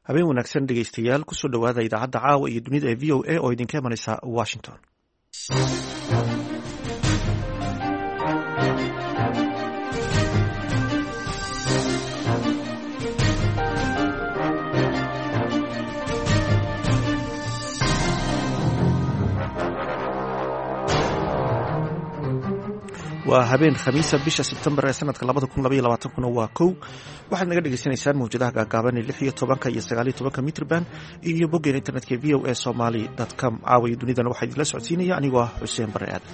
Habeen wanaagsan, dhegeystayaal. Kusoo dhowaada idaacadda caawa iyo dunida ee VOA oo idinka imanaysa Washington. Waa habeen Khamiisa, bisha Sebtembar ee sanadka 2022kuna waa 1. Waxaad naga dhegeysanaysaan mawjadaha gaagaaban ee 16-ka iyo 19-ka mitrban iyo boggeen internetka voasomali.com. Caawiyo dunidana waxaa idinla socodsiinaya anigoo ah Xuseen Bare Aadan.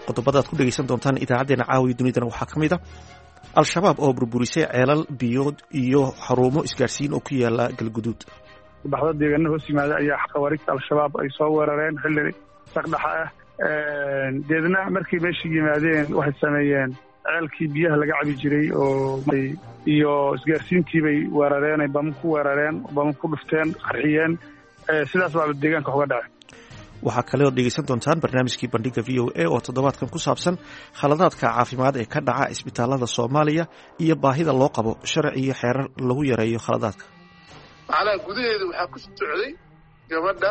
Qodobada ad ku dhegeysan doontaan idaacadeena caawiya dunidana waxaa ka mid a Al-Shabaab oo burburisay ceelal biyood iyo xarumo isgaarsiin oo ku yaala Galguduud. Baxdo deegaana hoos yimaada ayaa khawaarijta Al-Shabaab ay soo weerareen xilli saqdhaxa ah. Deedna markay meesha yimaadeen, waxay sameeyeen ceelkii biyaha laga cabi jiray oo iyo isgaarsiintii bay weerareen, ay bama ku weerareen, bama ku dhufteen, qarxiyeen. Sidaas baaba deegaanka uga dhacay. Waxaa kale ood dhegeysan doontaan barnaamijkii Bandhiga VOA oo toddobaadkan ku saabsan khaladaadka caafimaad ee ka dhaca isbitaalada Soomaaliya iyo baahida loo qabo sharci iyo xeerar lagu yareeyo khaladaadka. Macnaha gudaheeda waxaa ku socday gabadha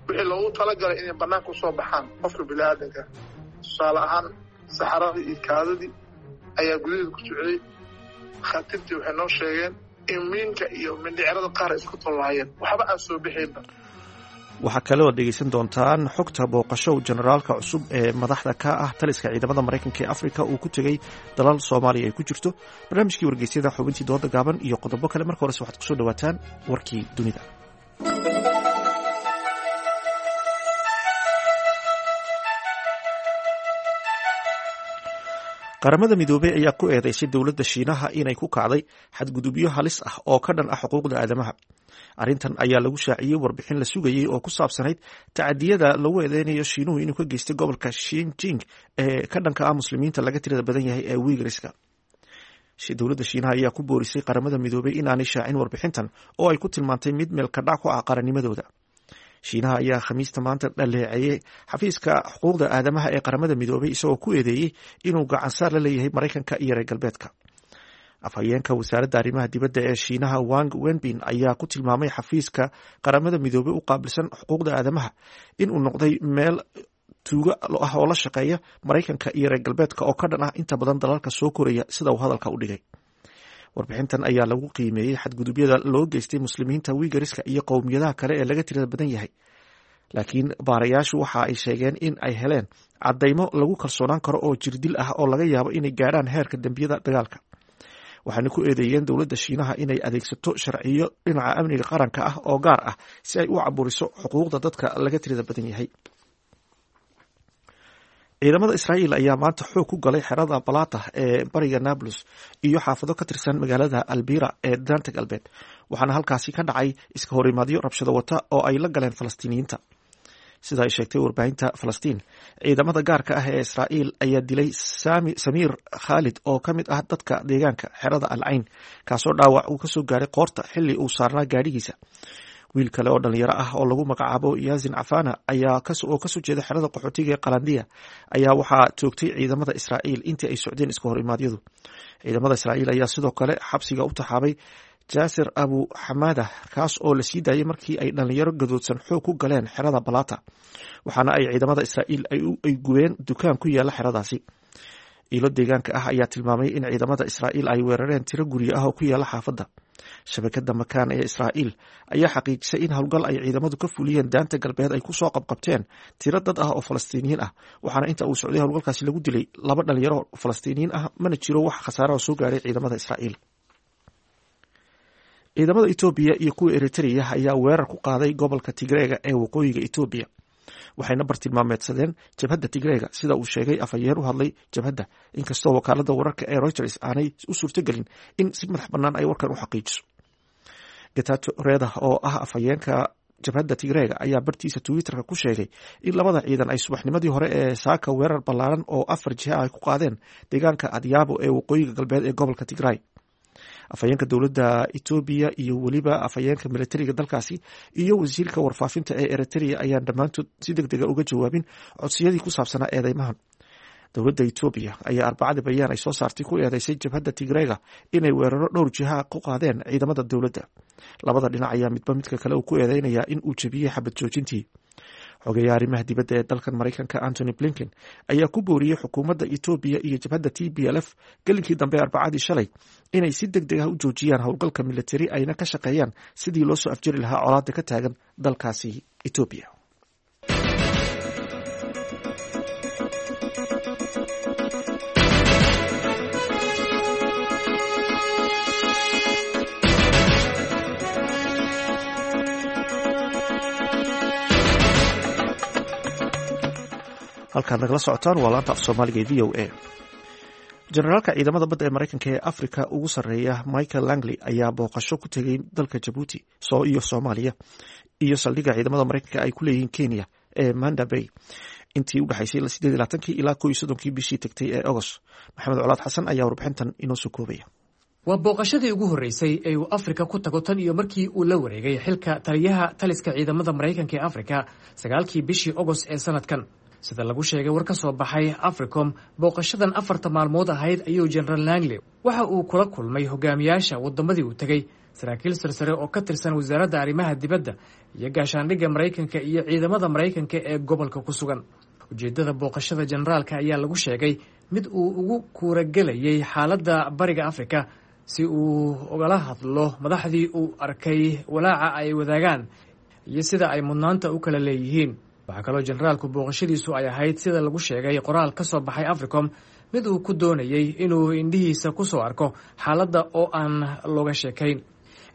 wixii loogu talagalay inay bannaanka usoo baxaan qofka bini'aadanka, tusaale ahaan saxaradii iyo kaadadii ayaa gudaheeda ku socday. Khaatiirtii waxay noo sheegeen in miinka iyo mindhicirada qaar ay isku tallaayeen, waxba aan soo bixaynba. Waxaa kale oad dhegeysan doontaan xogta booqasho generaalka cusub ee madaxda ka ah taliska ciidamada Maraykanka ee Afrika uu ku tegey dalal Soomaaliya ay ku jirto, barnaamijkii wargeysyada, xubintii dooda gaaban iyo qodobo kale. Marka horese waxaad kusoo dhawaataan warkii dunida. Qaramada Midoobey ayaa ku eedeysay dowladda Shiinaha inay ku kacday xadgudubyo halis ah oo ka dhan ah xuquuqda aadamaha. Arrintan ayaa lagu shaaciyey warbixin la sugayey oo ku saabsanayd tacadiyada lagu eedeynayo Shiinuhu inuu ka geystay gobolka Shinjing ee ka dhanka ah Muslimiinta laga tirada badan yahay ee Wiigriska. Dowladda Shiinaha ayaa ku boorisay Qaramada Midoobey inaanay shaacin warbixintan oo ay ku tilmaantay mid meelkadhac ku ah qarannimadooda. Shiinaha ayaa Khamiista maanta dhaleeceeyey xafiiska xuquuqda aadamaha ee Qaramada Midoobey, isagoo ku eedeeyey inuu gacansaar la leeyahay Maraykanka iyo reer galbeedka. Afhayeenka wasaaradda arrimaha dibadda ee Shiinaha, Wang Wenbin, ayaa ku tilmaamay xafiiska Qaramada Midoobey u qaabilsan xuquuqda aadamaha inuu noqday meel tuugo ah oo la shaqeeya Maraykanka iyo reer galbeedka oo ka dhan ah inta badan dalalka soo koraya, sida uu hadalka u dhigay. Warbixintan ayaa lagu qiimeeyey xadgudubyada loo geystay Muslimiinta Wiigariska iyo qowmiyadaha kale ee laga tirada badan yahay, laakiin baarayaashu waxa ay sheegeen in ay heleen caddaymo lagu kalsoonaan karo oo jirdil ah oo laga yaabo inay gaadhaan heerka dembiyada dagaalka. Waxaana ku eedeeyeen dowladda Shiinaha inay adeegsato sharciyo dhinaca amniga qaranka ah oo gaar ah si ay u caburiso xuquuqda dadka laga tirada badan yahay. Ciidamada Israa'iil ayaa maanta xoog ku galay xerada Balata ee bariga Nablus iyo xaafado ka tirsan magaalada Albira ee Daanta Galbeed, waxaana halkaasi ka dhacay iska horimaadyo rabshado wata oo ay la galeen Falastiiniyiinta. Sida ay sheegtay warbaahinta Falastiin, ciidamada gaarka ah ee Israa'iil ayaa dilay Samiir Khaalid oo ka mid ah dadka deegaanka xerada Al Cayn, kaasoo dhaawac uu kasoo gaaray qoorta xilli uu saarnaa gaadhigiisa. Wiil kale oo dhalinyaro ah oo lagu magacaabo Yasin Cafana ayaa oo kasoo jeeda xerada qaxootiga ee Qalandiya ayaa waxaa toogtay ciidamada Israa'iil intii ay socdeen iska horimaadyadu. Ciidamada Israa'iil ayaa sidoo kale xabsiga u taxaabay Jaasir Abu Xamaada, kaas oo la sii daayay markii ay dhalinyaro gadoodsan xoog ku galeen xerada Balata, waxaana ay ciidamada Israa'iil ay gubeen dukaan ku yaala xeradaasi. Ilo deegaanka ah ayaa tilmaamay in ciidamada Israa'iil ay weerareen tiro guryo ah oo ku yaala xaafadda. Shabakada Makaan ee Israa'iil ayaa xaqiijisay in howlgal ay ciidamadu ka fuliyeen Daanta Galbeed ay kusoo qabqabteen tiro dad ah oo Falastiiniyiin ah, waxaana inta uu socday howlgalkaasi lagu dilay laba dhalinyaro Falastiiniyiin ah. Mana jiro wax khasaaraha soo gaaray ciidamada Israa'iil. Ciidamada Etoobiya iyo kuwa Eritrea ayaa weerar ku qaaday gobolka Tigreega ee waqooyiga Etoobiya, waxayna bartilmaameedsadeen jabhadda Tigreega, sida uu sheegay afhayeen u hadlay jabhadda, inkastoo wakaalada wararka ee Reuters aanay u suurtogelin in si madax bannaan ay warkan u xaqiijiso. Getato Reda oo ah afhayeenka jabhadda Tigreega ayaa bartiisa Twitterka ku sheegay in labada ciidan ay subaxnimadii hore ee saaka weerar ballaaran oo afar jiha ay ku qaadeen deegaanka Adyaabo ee waqooyiga galbeed ee gobolka Tigray. Afhayeenka dowladda Etoobiya iyo weliba afhayeenka militariga dalkaasi iyo wasiirka warfaafinta ee Eritrea ayaan dhammaantood si deg dega uga jawaabin codsiyadii ku saabsanaa eedeymahan. Dowladda Etoobiya ayaa Arbacadii bayaan ay soo saartay ku eedeysay jabhadda Tigreega inay weeraro dhowr jiha ku qaadeen ciidamada dowladda. Labada dhinac ayaa midba midka kale uu ku eedeynayaa in uu jebiyey xabad joojintii. Xogeyaha arrimaha dibadda ee dalkan Maraykanka Antony Blinken ayaa ku booriyey xukuumadda Etoobiya iyo jabhadda TPLF gelinkii dambe Arbacadii shalay inay si deg deg ah u joojiyaan howlgalka militari, ayna ka shaqeeyaan sidii loo soo afjari lahaa colaadda ka taagan dalkaasi Etoobiya. Halkaad nagala socotaan waa laanta af Soomaaliga ee VOA. Generaalka ciidamada badda ee Maraykanka ee Afrika ugu sarreeya Michael Langley ayaa booqasho ku tegay dalka Jabuuti iyo Soomaaliya iyo saldhigga ciidamada Maraykanka ay ku leeyihiin Kenya ee Manda Bay intii u dhexaysay 28-kii ilaa 31-kii bishii tagtay ee Agost. Maxamed Colaad Xasan ayaa warbixintan inoo soo koobaya. Waa booqashadii ugu horreysay ee uu Afrika ku tago tan iyo markii uu la wareegay xilka taliyaha taliska ciidamada Maraykanka ee Afrika 9-kii bishii Ogost ee sanadkan. Sida lagu sheegay war ka soo baxay Africom, booqashadan 4-ta maalmood ahayd ayuu General Langley waxa uu kula kulmay hogaamiyaasha waddamadii uu tegey, saraakiil sarsare oo ka tirsan wasaaradda arrimaha dibadda iyo gaashaandhigga Maraykanka iyo ciidamada Maraykanka ee gobolka ku sugan. Ujeeddada booqashada generaalka ayaa lagu sheegay mid uu ugu kuuragelayay xaaladda Bariga Afrika, si uu ugala hadlo madaxdii uu arkay walaaca ay wadaagaan iyo sida ay mudnaanta u kala leeyihiin. Waxaa kaloo generaalku booqashadiisu ay ahayd, sida lagu sheegay qoraal ka soo baxay Africom, mid uu ku doonayey inuu indhihiisa ku soo arko xaaladda oo aan looga sheekayn.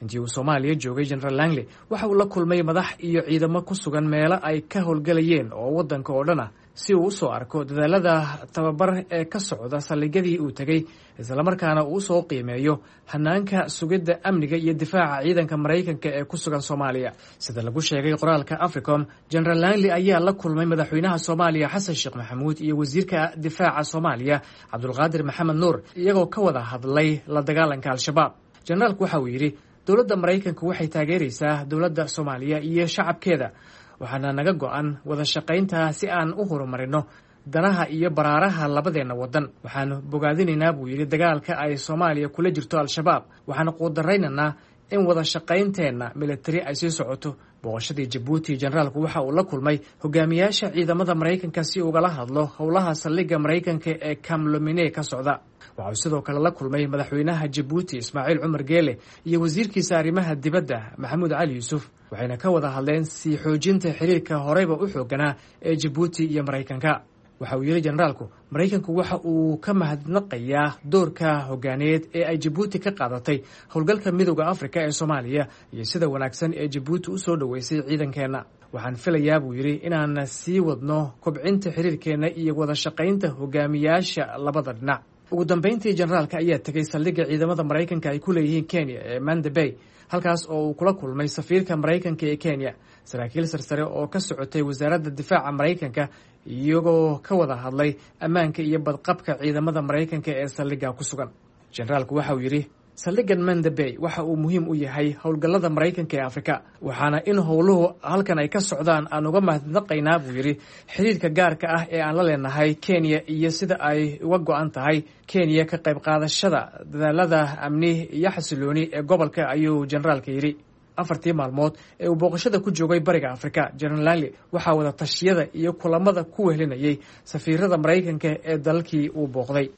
Intii uu Soomaaliya joogay, General Langley waxa uu la kulmay madax iyo ciidamo ku sugan meelo ay ka howlgelayeen oo waddanka oo dhan ah, si uu usoo arko dadaalada tababar ee ka socda saldhigyadii uu tegey, islamarkaana uu usoo qiimeeyo hanaanka sugidda amniga iyo difaaca ciidanka Maraykanka ee ku sugan Soomaaliya. Sida lagu sheegay qoraalka Africom, General Langley ayaa la kulmay madaxweynaha Soomaaliya Xasan Sheekh Maxamuud iyo wasiirka difaaca Soomaaliya Cabdulqaadir Maxamed Nuur, iyagoo ka wada hadlay la dagaalanka Al-Shabaab. Generaalku waxa uu yidhi, dowladda Maraykanka waxay taageeraysaa dowladda Soomaaliya iyo shacabkeeda, waxaana naga go-an wada shaqaynta si aan u horumarino danaha iyo baraaraha labadeenna waddan. Waxaanu bogaadinaynaa, buu yidhi, dagaalka ay Soomaaliya kula jirto Al-Shabaab, waxaanu quudaraynaynaa in wada shaqaynteenna militari ay sii socoto. Booqashadii Jabuuti, generaalku waxa uu la kulmay hogaamiyaasha ciidamada Maraykanka si ugala hadlo howlaha saldhigga Maraykanka ee Kamlomine ka socda. Waxa uu sidoo kale la kulmay madaxweynaha Jabuuti Ismaaciil Cumar Geele iyo wasiirkiisa arrimaha dibadda Maxamuud Cali Yuusuf, waxayna ka wada hadleen sii xoojinta xiriirka horeyba u xooganaa ee Jabuuti iyo Maraykanka. Waxa uu yidhi generaalku, Maraykanku waxa uu ka mahadnaqayaa doorka hogaaneed ee ay Jabuuti ka qaadatay howlgalka Midooda Afrika ee Soomaaliya iyo sida wanaagsan ee Jabuuti u soo dhoweysay ciidankeenna. Waxaan filayaa, buu yidhi, inaan sii wadno kobcinta xiriirkeenna iyo wada shaqaynta hogaamiyaasha labada dhinac. Ugu dambeyntii, generaalka ayaa tegey saldhigga ciidamada Maraykanka ay ku leeyihiin Kenya ee Manda Bay, halkaas oo uu kula kulmay safiirka Maraykanka ee Kenya, saraakiil sarsare oo ka socotay wasaaradda difaaca Maraykanka, iyagoo ka wada hadlay ammaanka iyo badqabka ciidamada Maraykanka ee saldhigga ku sugan. Generaalku waxa uu yidhi, saldhiggan Manda Bay waxa uu muhiim u yahay howlgallada Maraykanka ee Afrika, waxaana in howluhu halkan ay ka socdaan aan uga mahadnaqaynaa, buu yidhi, xiriirka gaarka ah ee aan la leenahay Kenya iyo sida ay uga go-an tahay Kenya ka qayb qaadashada dadaalada amni iyo xasilooni ee gobolka, ayuu generaalka yidhi. 4-tii maalmood ee uu booqashada ku joogay Bariga Afrika, General Langley waxaa wada tashiyada iyo kulamada ku wehelinayay safiirada Maraykanka ee dalalkii uu booqday.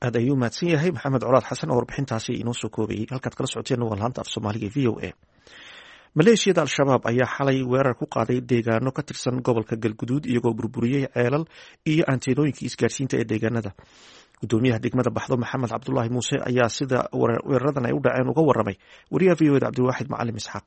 Aad ayuu mahadsan yahay Maxamed Colaad Xasan oo warbixintaasi inoo soo koobayey. Halkaad kala socoteen waa laanta af Soomaaliga VOA. Maleeshiyada Al-Shabaab ayaa xalay weerar ku qaaday deegaano ka tirsan gobolka Galguduud, iyagoo burburiyey ceelal iyo anteenooyinkii isgaarsiinta ee deegaanada. Gudoomiyaha degmada Baxdo Maxamed Cabdulaahi Muuse ayaa sida weeraradan ay u dhaceen uga waramay wariyaha VOA da Cabdiwaaxid Macalim Isxaaq.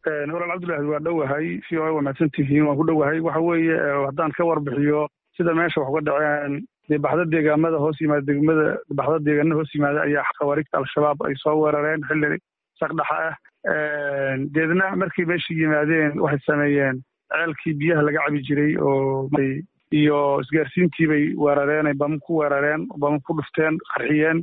Walaal Cabdulaahi, waa dhowahay, VOA waa mahadsantihiin, waan ku dhowahay. Waxa weeye, haddaan ka warbixiyo sida meesha wax uga dhaceen, dee Baxda deegaamada hoos yimaada, degmada Baxda deegaanada hoos yimaada ayaa khawaariijta Al-Shabaab ay soo weerareen xilli saqdhaxa ah. Deedna markii meesha yimaadeen waxay sameeyeen ceelkii biyaha laga cabi jiray oo iyo isgaarsiintii bay weerareen, ay bama ku weerareen, bama ku dhufteen, qarxiyeen.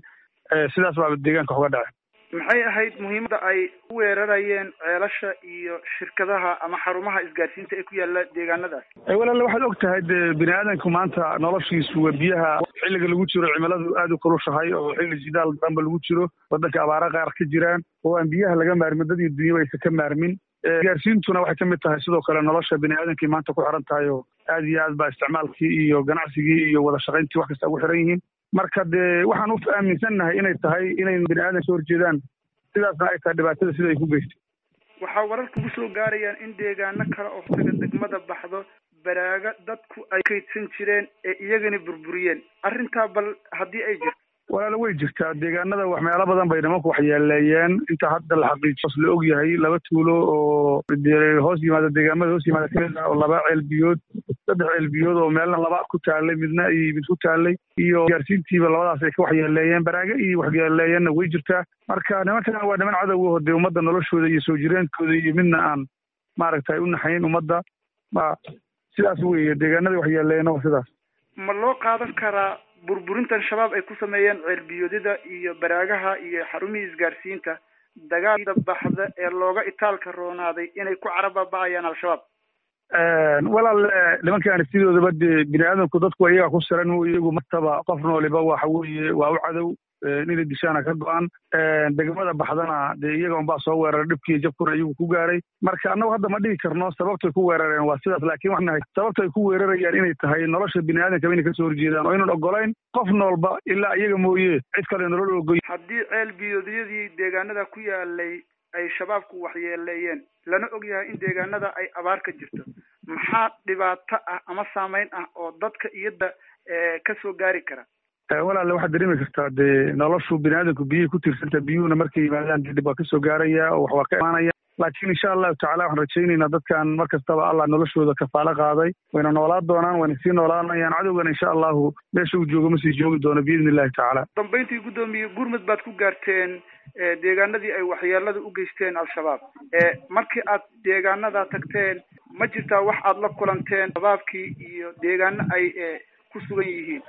Sidaas baaba deegaanka wax uga dhaceen. Maxay ahayd muhiimadda ay u weerarayeen ceelasha iyo shirkadaha ama xarumaha isgaarsiinta ee ku yaala deegaanadaas? Walaale, waxaad og tahay dee bini aadamku maanta noloshiisu waa biyaha. Xilliga lagu jiro cimiladu aada u kulushahay oo xilli jidaal daranba lagu jiro, waddanka abaara qaar ka jiraan oo aan biyaha laga maarmin, dad iyo dunyaba aysan ka maarmin. Isgaarsiintuna waxay ka mid tahay sidoo kale nolosha bini aadamkii maanta ku xiran tahay, oo aad iyo aad baa isticmaalkii iyo ganacsigii iyo wada shaqayntii wax kasta ugu xiran yihiin. Marka dee waxaan u aaminsannahay inay tahay inay bini aadan soo horjeedaan, sidaasna ay tahay dhibaatada sida ay ku geystay. Waxaa warar kugu soo gaarayaan in deegaano kale oo taga degmada Baxdo baraaga dadku ay kaydsan jireen ee iyagana burburiyeen. Arrintaa bal haddii ay jirto? Walaalo, way jirtaa. Deegaanada wax meelo badan bay nimanku waxyeeleeyeen. Inta hadda la xaqiijiyo la og yahay, 2 tuulo oo hoos yimaada, deegaamada hoos yimaada kamid ah, oo 2 ceel biyood, 3 ceel biyood oo meelna 2 ku taalay, midna iyo mid ku taalay, iyo gaarsiintiiba labadaas ay ka waxyeeleeyeen. Baraaga iyo waxyeeleeyeenna way jirtaa. Marka nimankan waa niman cadowgaho dee ummadda noloshooda iyo soo jireenkooda iyo midna aan maaragtay u naxayn ummadda. Ma sidaas weeye, deegaanada waxyeeleeyeenna waa sidaas. Ma loo qaadan karaa burburintan Shabaab ay ku sameeyeen ceelbiyoodyada iyo baraagaha iyo xarumihii isgaarsiinta dagaalda Baxda ee looga itaalka roonaaday inay ku carababa'ayaan Al-Shabaab? Walaal, nimankaani sidoodaba dee bini aadamku dadku iyagaa ku siran, iyagu martaba qof nooliba waxa weeye waa u cadow, inay dishaana ka go-an. Degmada Baxdana dee iyaga unbaa soo weeraray, dhibkii jabkuna iyagu ku gaaray. Marka annagu hadda ma dhihi karno sababtay ku weerareen waa sidaas, laakiin waxaan nahay sababta ay ku weerarayaan inay tahay nolosha bini aadamkaba inay kasoo horjeedaan oo inaan ogolayn qof noolba ilaa iyaga mooye cid kale nolol ogoy. Haddii ceel biyoodyadii deegaanada ku yaalay ay Shabaabku waxyeeleeyeen, lana og yahay in deegaanada ay abaar ka jirto, maxaa dhibaato ah ama saameyn ah oo dadka iyada kasoo gaari kara? Walaale, waxaad dareemi kartaa dee noloshu bini aadamku biyihii ku tiirsanta, biyuhuna markay yimaadaan dee dhib waa kasoo gaaraya oo wax waa ka imaanaya. Laakiin insha Allahu tacala waxaan rajaynaynaa dadkan mar kastaba Allah noloshooda kafaalo qaaday, wayna noolaa doonaan, wayna sii noolaanayaan. Cadowgana insha Allahu meesha uu joogo ma sii joogi doono biidni illahi tacaala. Dambayntii, guddoomiye, gurmud baad ku gaarteen deegaanadii ay waxyeelada u geysteen Al-Shabaab. Markii aad deegaanadaa tagteen, ma jirtaa wax aad la kulanteen shabaabkii iyo deegaano ay ku sugan yihiin?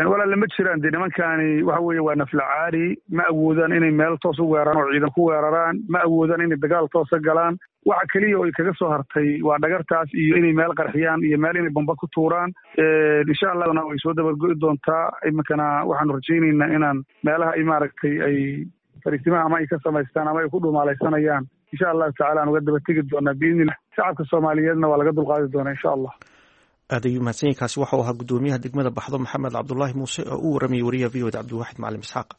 Walaale, ma jiraan. Dee nimankaani waxa weeye waa naflacaari, ma awoodaan inay meel toos u weeraraan oo ciidan ku weeraraan, ma awoodaan inay dagaal toosa galaan. Waxa keliya oo ay kaga soo hartay waa dhagartaas iyo inay meel qarxiyaan iyo meel inay bamba ku tuuraan. Insha Allahna way soo dabargo'i doontaa. Iminkana waxaanu rajaynaynaa inaan meelaha ay maaragtay ay fariisimaha ama ay ka samaystaan ama ay ku dhumaalaysanayaan insha Allahu tacala aan uga daba tegi doonaa biidnillah. Shacabka Soomaaliyeedna waa laga dulqaadi doonaa insha Allah. Aad ayuu mahadsanyahy. Waxau ahaa guddoomiyaha degmada Baxdo Maxamed Cabdulaahi Muuse oo u waramayay wariyaha V O da Cabdiwaxid Macalin Isxaaq.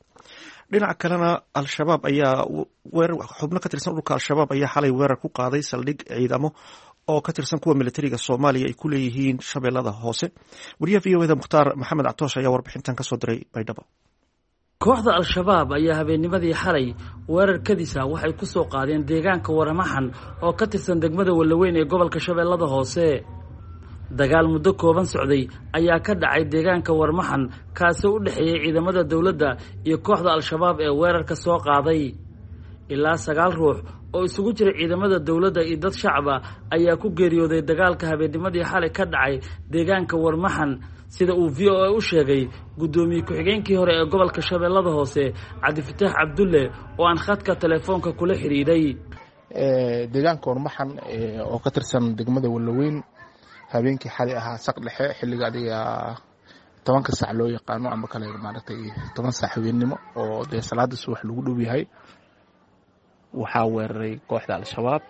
Dhinaca kalena, Al-Shabaab ayaa weerar, xubno ka tirsan ururka Al-Shabaab ayaa xalay weerar ku qaaday saldhig ciidamo oo ka tirsan kuwa militariga Soomaaliya ay ku leeyihiin Shabeellada Hoose. Wariyaha V O da Mukhtaar Maxamed Catoosh ayaa warbixintan kasoo diray Baydhabo. Kooxda Al-Shabaab ayaa habeennimadii xalay weerar kadis ah waxay ku soo qaadeen deegaanka Waramaxan oo ka tirsan degmada Wallaweyn ee gobolka Shabeellada Hoose. Dagaal muddo kooban socday ayaa ka dhacay deegaanka Warmaxan, kaasoo u dhexeeyey ciidamada dowladda iyo kooxda Al-Shabaab ee weerarka soo qaaday. Ilaa 9 ruux oo isugu jira ciidamada dowladda iyo dad shacab ah ayaa ku geeriyooday dagaalka habeennimadii xalay ka dhacay deegaanka Warmaxan, sida uu V O A u sheegay guddoomiye ku-xigeenkii hore ee gobolka Shabeellada Hoose, Cabdifataax Cabdulle, oo aan khadka telefoonka kula xidhiidhay. Deegaanka Warmaxan oo ka tirsan degmada Wallaweyn, habeenkii xalay ahaa saq dhexe, xilliga adiga 10-ka saac loo yaqaano ama kale maaragtay 10 saac habeennimo oo dee salaada subax lagu dhow yahay, waxaa weeraray kooxda Al-Shabaab.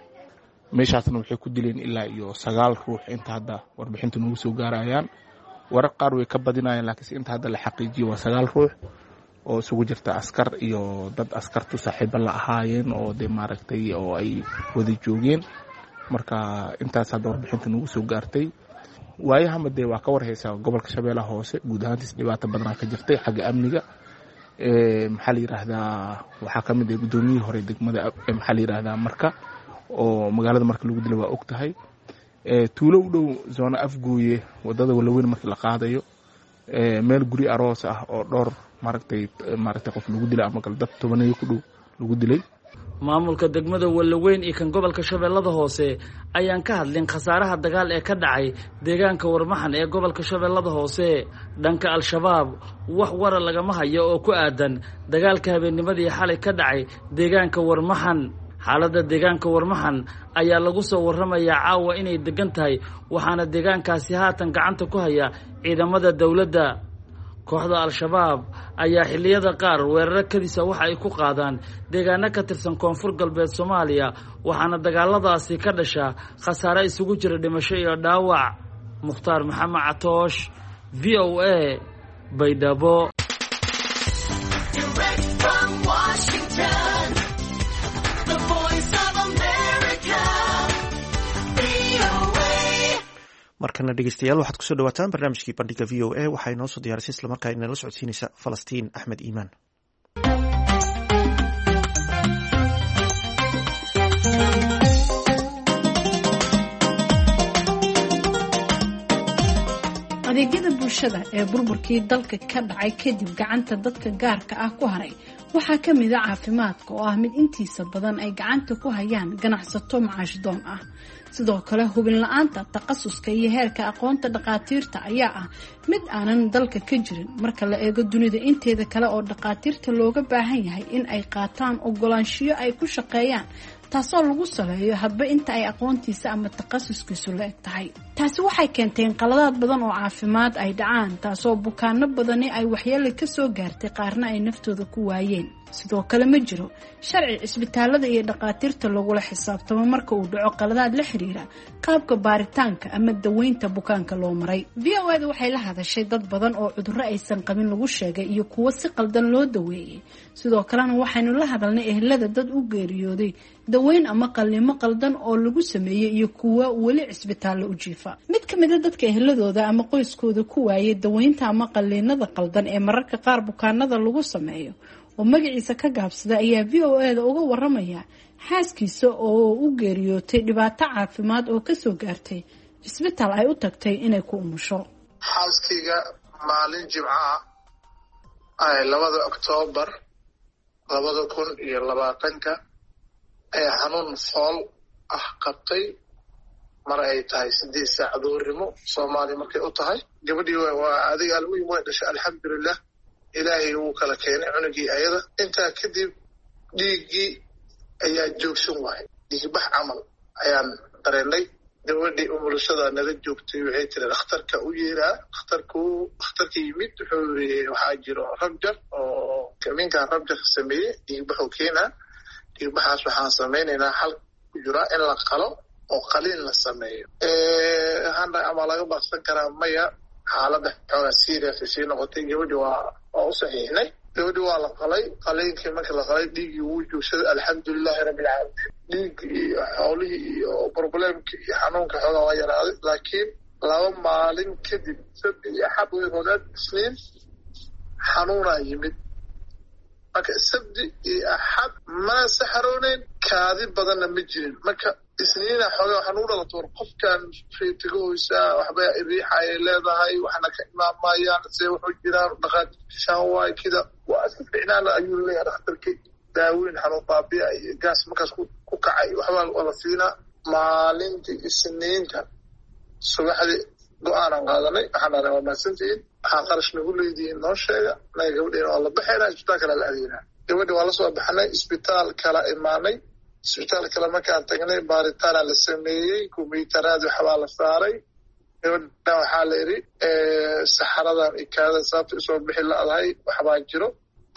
Meeshaasna waxay ku dileen ilaa iyo 9 ruux inta hadda warbixinta nagu soo gaarayaan. Warar qaar way ka badinayaan, laakiinse inta hadda la xaqiijiyey waa 9 ruux oo isugu jirta askar iyo dad askartu saaxiibo la ahaayeen oo dee maaragtay oo ay wada joogeen. Marka intaas hadda warbixinta nagu soo gaartay. Waayahama dee waa ka warhaysaa gobolka Shabeellaha Hoose guud ahaantiis dhibaato badanaa ka jirtay xagga amniga. Maxaa la yiraahdaa, waxaa ka mid ah guddoomiyihii hore degmada, maxaa la yiraahdaa, Marka oo magaalada Marka lagu dilay waa og tahay. Tuulo u dhow zoona Afgooye, wadada Walaweyn markii la qaadayo, meel guri aroos ah oo dhowr maaragtay qof lagu dilay ama kale dad tobaneeyo ku dhow lagu dilay. Maamulka degmada Wallaweyn iyo kan gobolka Shabeellada Hoose ayaan ka hadlin khasaaraha dagaal ee ka dhacay deegaanka Warmaxan ee gobolka Shabeellada Hoose. Dhanka Al-Shabaab wax wara lagama hayo oo ku aadan dagaalka habeennimadii xalay ka dhacay deegaanka Warmaxan. Xaaladda deegaanka Warmaxan ayaa lagu soo warramayaa caawa inay degan tahay, waxaana deegaankaasi haatan gacanta ku haya ciidamada dowladda. Kooxda Al-Shabaab ayaa xilliyada qaar weeraro kadisa waxa ay ku qaadaan deegaano ka tirsan Koonfur Galbeed Soomaaliya, waxaana dagaaladaasi ka dhasha khasaare isugu jira dhimasho iyo dhaawac. Mukhtaar Maxamed Catoosh, VOA, Baydhabo. Markana dhegeystayaal, waxaad kusoo dhawaataan barnaamijkii Bandhiga VOA. Waxaa inoo soo diyaarisay islamarkaa inala socodsiinaysa Falastiin Axmed Iimaan. Adeegyada bulshada ee burburkii dalka ka dhacay kadib gacanta dadka gaarka ah ku haray waxaa ka mid a caafimaadka, oo ah mid intiisa badan ay gacanta ku hayaan ganacsato macaashdoon ah. Sidoo kale, hubin la-aanta takhasuska iyo heerka aqoonta dhaqaatiirta ayaa ah mid aanan dalka ka jirin marka la eego dunida inteeda kale, oo dhaqaatiirta looga baahan yahay in ay qaataan ogolaanshiyo ay ku shaqeeyaan, taasoo lagu saleeyo hadba inta ay aqoontiisa ama takhasuskiisu la eg tahay. Taasi waxay keentay in qaladaad badan oo caafimaad ay dhacaan, taasoo bukaano badani ay waxyeelo kasoo gaartay, qaarna ay naftooda ku waayeen. Sidoo kale, ma jiro sharci cisbitaalada iyo dhaqaatiirta lagula xisaabtamo marka uu dhaco qaladaad la xiriira qaabka baaritaanka ama daweynta bukaanka loo maray. VOA da waxay la hadashay dad badan oo cudurro aysan qabin lagu sheegay iyo kuwo si qaldan loo daweeyey. Sidoo kalena waxaynu la hadalnay ehelada dad u geeriyooday daweyn ama qalliimo qaldan oo lagu sameeyey iyo kuwo weli cisbitaallo u jiifa. Mid ka mida dadka eheladooda ama qoyskooda ku waayay daweynta ama qalliinada qaldan ee mararka qaar bukaanada lagu sameeyo, oo magaciisa ka gaabsada, ayaa VOA da uga waramaya xaaskiisa oo u geeriyootay dhibaato caafimaad oo kasoo gaartay cisbitaal ay u tagtay inay ku umusho. Xaaskayga maalin Jimcaha ay 2da Oktoobar 2020-ka ayaa xanuun fool ah qabtay, mar ay tahay 8 saac duhurnimo Soomaaliya markay u tahay. Gabadhii waa adiga, almuhim way dhashay, alxamdulilah, Ilaahay wuu kala keenay cunugii ayada. Intaa kadib dhiiggii ayaa joogsan waayay, dhiigbax camal ayaan dareennay. Gabadhii umulashada nala joogtay waxay tiri, "Dhakhtarka u yeeraa." Dhakhtarku, dhakhtarka yimid, wuxuu yiri, "Waxaa jiro rupture oo minkaan rupture-ka sameeyey, dhiigbaxuu keenaa. Dhiigbaxaas waxaan samaynaynaa, xal ku jiraa in la qalo oo qaliin la sameeyo." Waxaan dhahay, "Ama laga baaqsan karaa?" "Maya, xaaladda xoogaa serious ay sii noqotay." Gabadhi waa u saxiixnay. Gabadhi waa la qalay. Qaliinkii markii la qalay, dhiiggii wuu joogsaday, alxamdulilahi rabbilcaalamiin. Dhiiggii iyo xoolihii iyo problem-kii iyo xanuunka xoogaa waa yaraaday, laakiin 2 maalin kadib, Sabti iyo Axad way rogaad, Isniin xanuunaa yimid. Marka Sabti iyo Axad mana saxarooneyn, kaadi badanna ma jirin. Marka Isniina xoogaa waxaa nugu dhalato, war qofkan feetigahoysaa, waxba riixayay leedahay, waxna ka imaamayaan, see wuxuu jiraan dhaqaatiirtishaan waay kida waa iska ficnaana ayuu leeyahay dhakhtarkii. Daaweyn xanuun baabi'a iyo gaas markaas ku kacay waxbaa la siinaa. Maalintii Isniinta subaxdii go-aanan qaadanay. Waxaan dhahnay, "Waa mahadsantihiin, waxaa qarash nagu leedihiin noo sheega, naga gabadheena waa la baxaynaa, isbitaal kala la adeynaa." Gabadhi waa lasoo baxnay, isbitaal kala imaanay. Isbitaal kale markaan tagnay, baaritaana la sameeyey, kombiyuutaraad waxbaa la saaray. Gabadhan waxaa la yidhi, "Saxaradan iyo kaadada sababta usoo bixi la'dahay waxbaa jiro."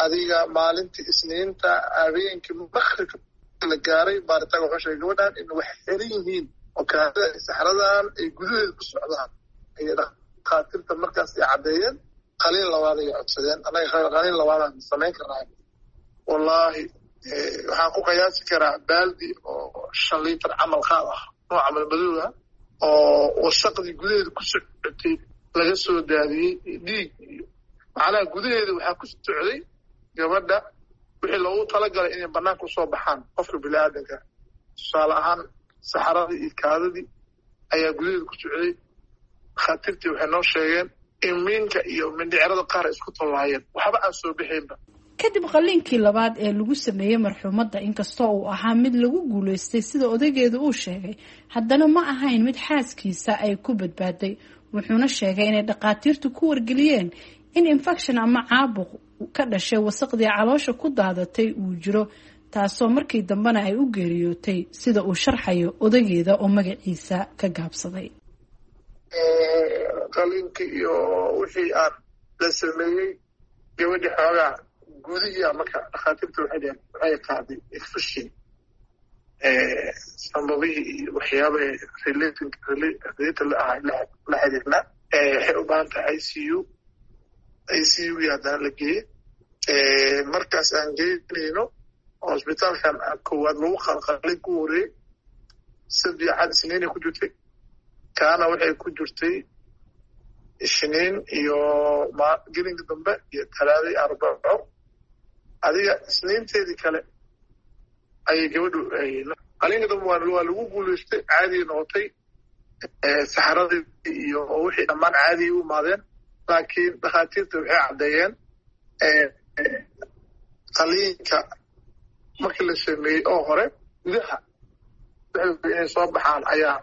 Adiga maalintii Isniinta habeenkii maqribka la gaaray, baaritaanka wuxuu sheegay gabadhan in wax xiran yihiin oo kaadada iyo saxaradan ay gudaheeda ku socdaan. Ayay dhakhaatiirta markaas ay caddeeyeen. Qaliin labaad ayay codsadeen. Annaga qaliin labaadaan samayn karnaa? Wallaahi, waxaan ku qiyaasi karaa baaldi oo 5 liitar camal qaad ah, nooca malmadowga, oo wasaqdii gudaheeda ku socotay laga soo daadiyey, dhiig iyo macnaha gudaheeda waxaa ku socday gabadha wixii loogu talagalay inay banaanka usoo baxaan qofka bini-aadanka. Tusaale ahaan, saxaradii iyo kaadadii ayaa gudaheeda ku socday. Dhakhaatiirtii waxay noo sheegeen in miinka iyo mindhicirada qaar ay isku tallaayeen, waxba aan soo bixaynba. Kadib qalliinkii labaad ee lagu sameeyey marxuumadda, inkastoo uu ahaa mid lagu guuleystay sida odaygeedu uu sheegay, haddana ma ahayn mid xaaskiisa ay ku badbaaday. Wuxuuna sheegay inay dhaqaatiirtu ku wargeliyeen in infection ama caabuq ka dhashay wasaqdii caloosha ku daadatay uu jiro, taasoo markii dambena ay u geeriyootay, sida uu sharxayo odaygeeda oo magaciisa ka gaabsaday. Qaliinkii iyo wixii aan la sameeyey gabadhii xoogaa gudihii, marka dhakhaatiirta waxay dheheen waxay qaaday infection sambabihii iyo waxyaaba related la ahay la xiriirna, waxay u baahan tahay ICU. ICU gii haddana la geeyey. Markaas aan geynayno oo isbitaalkan koowaad lagu qalqalay ku horeeyey, Sabti, Axad, Isniinay ku jirtay. Kaana waxay ku jirtay Ishniin iyo gelinka dambe iyo Talaadai, Arbaco. Adiga Isniinteedii kale ayay gabadhu qalinka dambe waa lagu guulaystay, caadigay noqotay, saxaradii iyo wixii dhammaan caadigay u imaadeen. Laakiin dhakhaatiirta waxay caddeeyeen qaliinka markii la sameeyey oo hore gudaha inay soo baxaan ayaa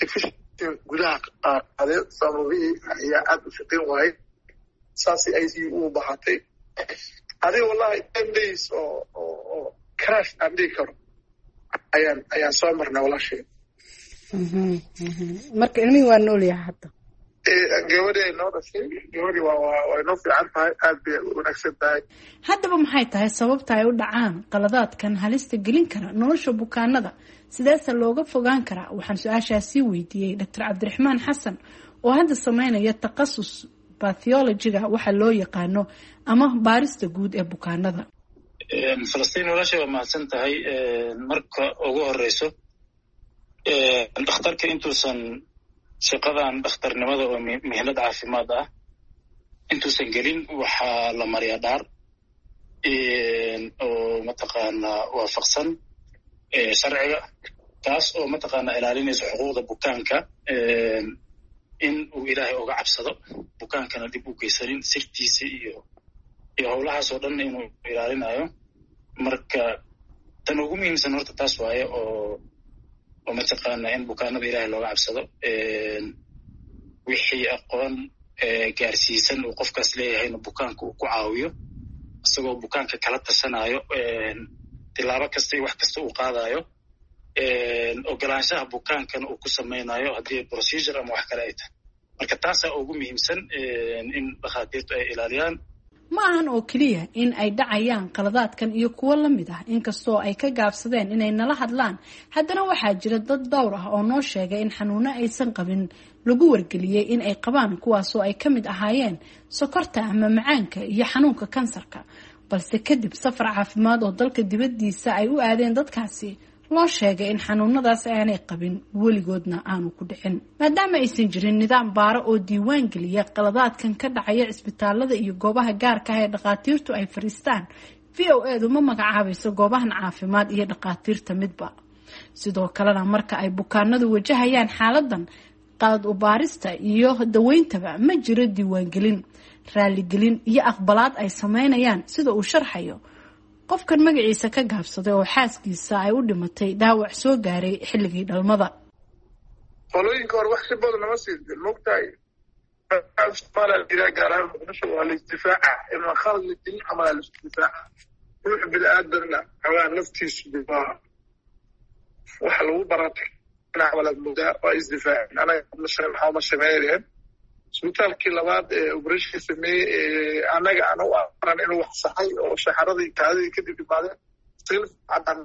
infection gudaha qaadeen, sababihii ayaa aada u shaqeyn waayey, saasay ICU ugu baxatay. Adiga wallahi 10 days oo crash aan dhihi karo ayaan soo marnay, walaashay. Marka ilmihii waa nool yahay hadda? Gabadhi ay noo dhashay, gabadhi waa inoo fiican tahay, aad bay u wanaagsan tahay. Haddaba maxay tahay sababta ay u dhacaan qaladaadkan halista gelin kara nolosha bukaanada? Sideese looga fogaan karaa? Waxaan su-aashaasi weydiiyey Doctor Cabdiraxmaan Xasan oo hadda sameynaya takhasus pathology-ga waxa loo yaqaano ama baarista guud ee bukaanada. Falastiin, walaashay, waa mahadsan tahay. Marka ugu horeyso, dhakhtarka intuusan shaqadan dhakhtarnimada oo mihnad caafimaad ah intuusan gelin, waxaa la mariyaa dhaar oo mataqaanaa waafaqsan sharciga, taas oo mataqaanaa ilaalinaysa xuquuqda bukaanka, in uu Ilaahay uga cabsado, bukaankana dib u geysanin, sirtiisa iyo howlahaas oo dhan inuu ilaalinayo. Marka tan ugu muhiimsan horta taas waaye, oo mataqaanaa in bukaanada Ilaahay looga cabsado, wixii aqoon gaarsiisan uu qofkaas leeyahayna bukaanka uu ku caawiyo, isagoo bukaanka kala tashanayo tilaabo kasta iyo wax kasta uu qaadayo, ogolaanshaha bukaankana uu ku samaynayo haddii procedure ama wax kale ay tahay. Marka taasaa ugu muhiimsan in dhakhaatiirtu ay ilaaliyaan. Ma ahan oo keliya in ay dhacayaan qaladaadkan iyo kuwo la mid ah. Inkastoo ay ka gaabsadeen inay nala hadlaan, haddana waxaa jira dad dhowr ah oo noo sheegay in xanuuno aysan qabin lagu wargeliyey in ay qabaan, kuwaasoo ay ka mid ahaayeen sokorta ama macaanka iyo xanuunka kansarka, balse kadib safar caafimaad oo dalka dibaddiisa ay u aadeen dadkaasi loo sheegay in xanuunadaas aanay qabin, weligoodna aanu ku dhicin. Maadaama aysan jirin nidaam baaro oo diiwaan geliya qaladaadkan ka dhacaya cisbitaalada iyo goobaha gaarka ah ee dhakhaatiirtu ay fadhiistaan, VOA du ma magacaabayso goobahan caafimaad iyo dhakhaatiirta midba. Sidoo kalena marka ay bukaanadu wajahayaan xaaladan qalad u baarista iyo daweyntaba, ma jiro diiwaangelin, raaligelin iyo aqbalaad ay sameynayaan, sida uu sharxayo qofkan magaciisa ka gaabsaday oo xaaskiisa ay u dhimatay dhaawac soo gaaray xilligii dhalmada. Qolooyinka hore wax si badan nama siin, mogtahay. Soomaaliya, gaar ahaan Muqdisho, waa la isdifaaca inaan khalad la gelin camal la isdifaaca. Ruux bini-aadanna xoogaa naftiisu waa waxa lagu baratay walaad moodaa, waa isdifaaceen. Anaga maxaa ma sameynayeen? Isbitaalkii labaad ee operation sameeyey, annaga aan u aran inuu wax saxay oo saxaradii kaadidii kadib imaadeen, cadaan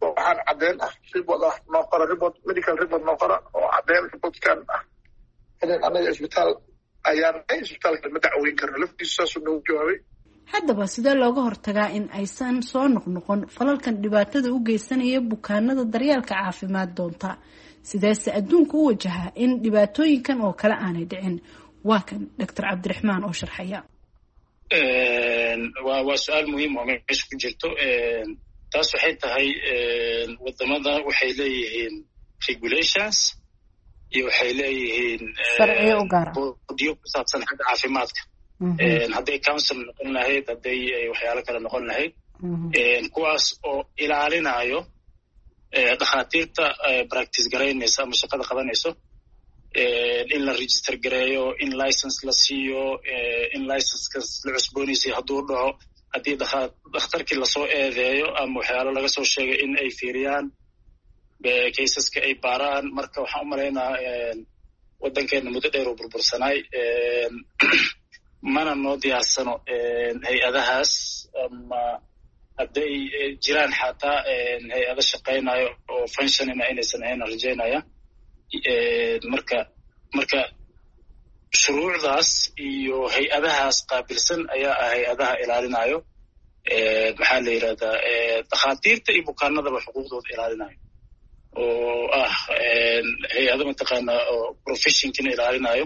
waxaan cadeen ah, report ah noo qora, report, medical report noo qora oo cadeen reportkan ah inaan annaga isbitaal ayaan isbitaalka ma dacweyn karno. Laftiisu saasuu noogu jawaabay. Haddaba sidee looga hortagaa in aysan soo noqnoqon falalkan dhibaatada u geysanaya bukaanada daryeelka caafimaad doonta? Sideese adduunka u wajahaa in dhibaatooyinkan oo kale aanay dhicin? Waa kan Doctor Cabdiraxmaan oo sharxaya. Waa su-aal muhiim oo meesha ku jirto. Taas waxay tahay, wadamada waxay leeyihiin regulations iyo waxay leeyihiin sharciyo u gaara boodiyo ku saabsan xagga caafimaadka. Hadday council noqon lahayd, hadday waxyaalo kale noqon lahayd, kuwaas oo ilaalinayo dhakhaatiirta practice garaynaysa ama shaqada qabanayso, in la register gareeyo, in license la siiyo, in licensekas la cusboonaysiyo hadduu dhaco, haddii dhakhtarkii lasoo eedeeyo ama waxyaalo laga soo sheegay in ay fiiriyaan caseska, ay baaraan. Marka waxaan u malaynaa waddankeena muddo dheer oo burbursanaay, mana noo diyaarsano hay-adahaas, ama hadday jiraan xataa hay-ado shaqaynayo oo functionina inaysan ahayn aan rajaynaya. Marka shuruucdaas iyo hay-adahaas qaabilsan ayaa ah hay-adaha ilaalinayo, maxaa la yidhahdaa, dhakhaatiirta iyo bukaanadaba xuquuqdooda ilaalinayo, oo ah hay-ado mataqaana oo professionkina ilaalinayo,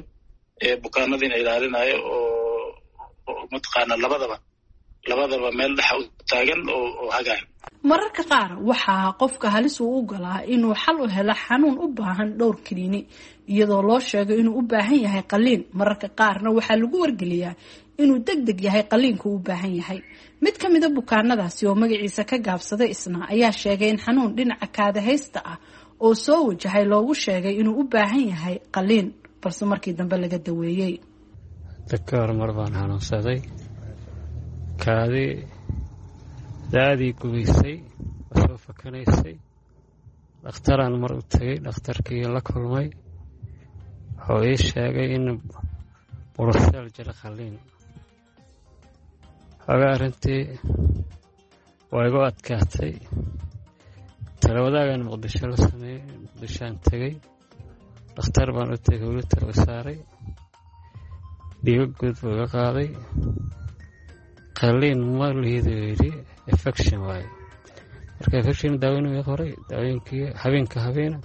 bukaanadiina ilaalinayo, oo mataqaana labadaba meel dhexa u taagan oo hagayo. Mararka qaar waxaa qofka halis uu u galaa inuu xal u helo xanuun u baahan dhowr kiniini, iyadoo loo sheego inuu u baahan yahay qaliin. Mararka qaarna waxaa lagu wargeliyaa inuu deg deg yahay qaliinku u baahan yahay. Mid ka mida bukaanadaasi oo magaciisa ka gaabsaday isna ayaa sheegay in xanuun dhinaca kaadahaysta ah oo soo wajahay loogu sheegay inuu u baahan yahay qaliin, balse markii dambe laga daweeyey. Dadka horumar baan xanuunsaday, kaadi daadii gubaysay oo soo fakanaysay. Dhakhtaraan mar u tegay, dhakhtarkii la kulmay wuxuu ii sheegay in buruseel jiro, qaliin. Xoogaa arrintii waa igu adkaatay. Talawadaagan Muqdisho la sameeyey, Muqdishoaan tegey, dhakhtar baan u tegay, weli tala saaray, dhiigo guud buu iga qaaday. Qaliin ma lihidu yidhi, infection waaye. Marka infection daaweyn ii qoray, daaweynkii habeenka habeena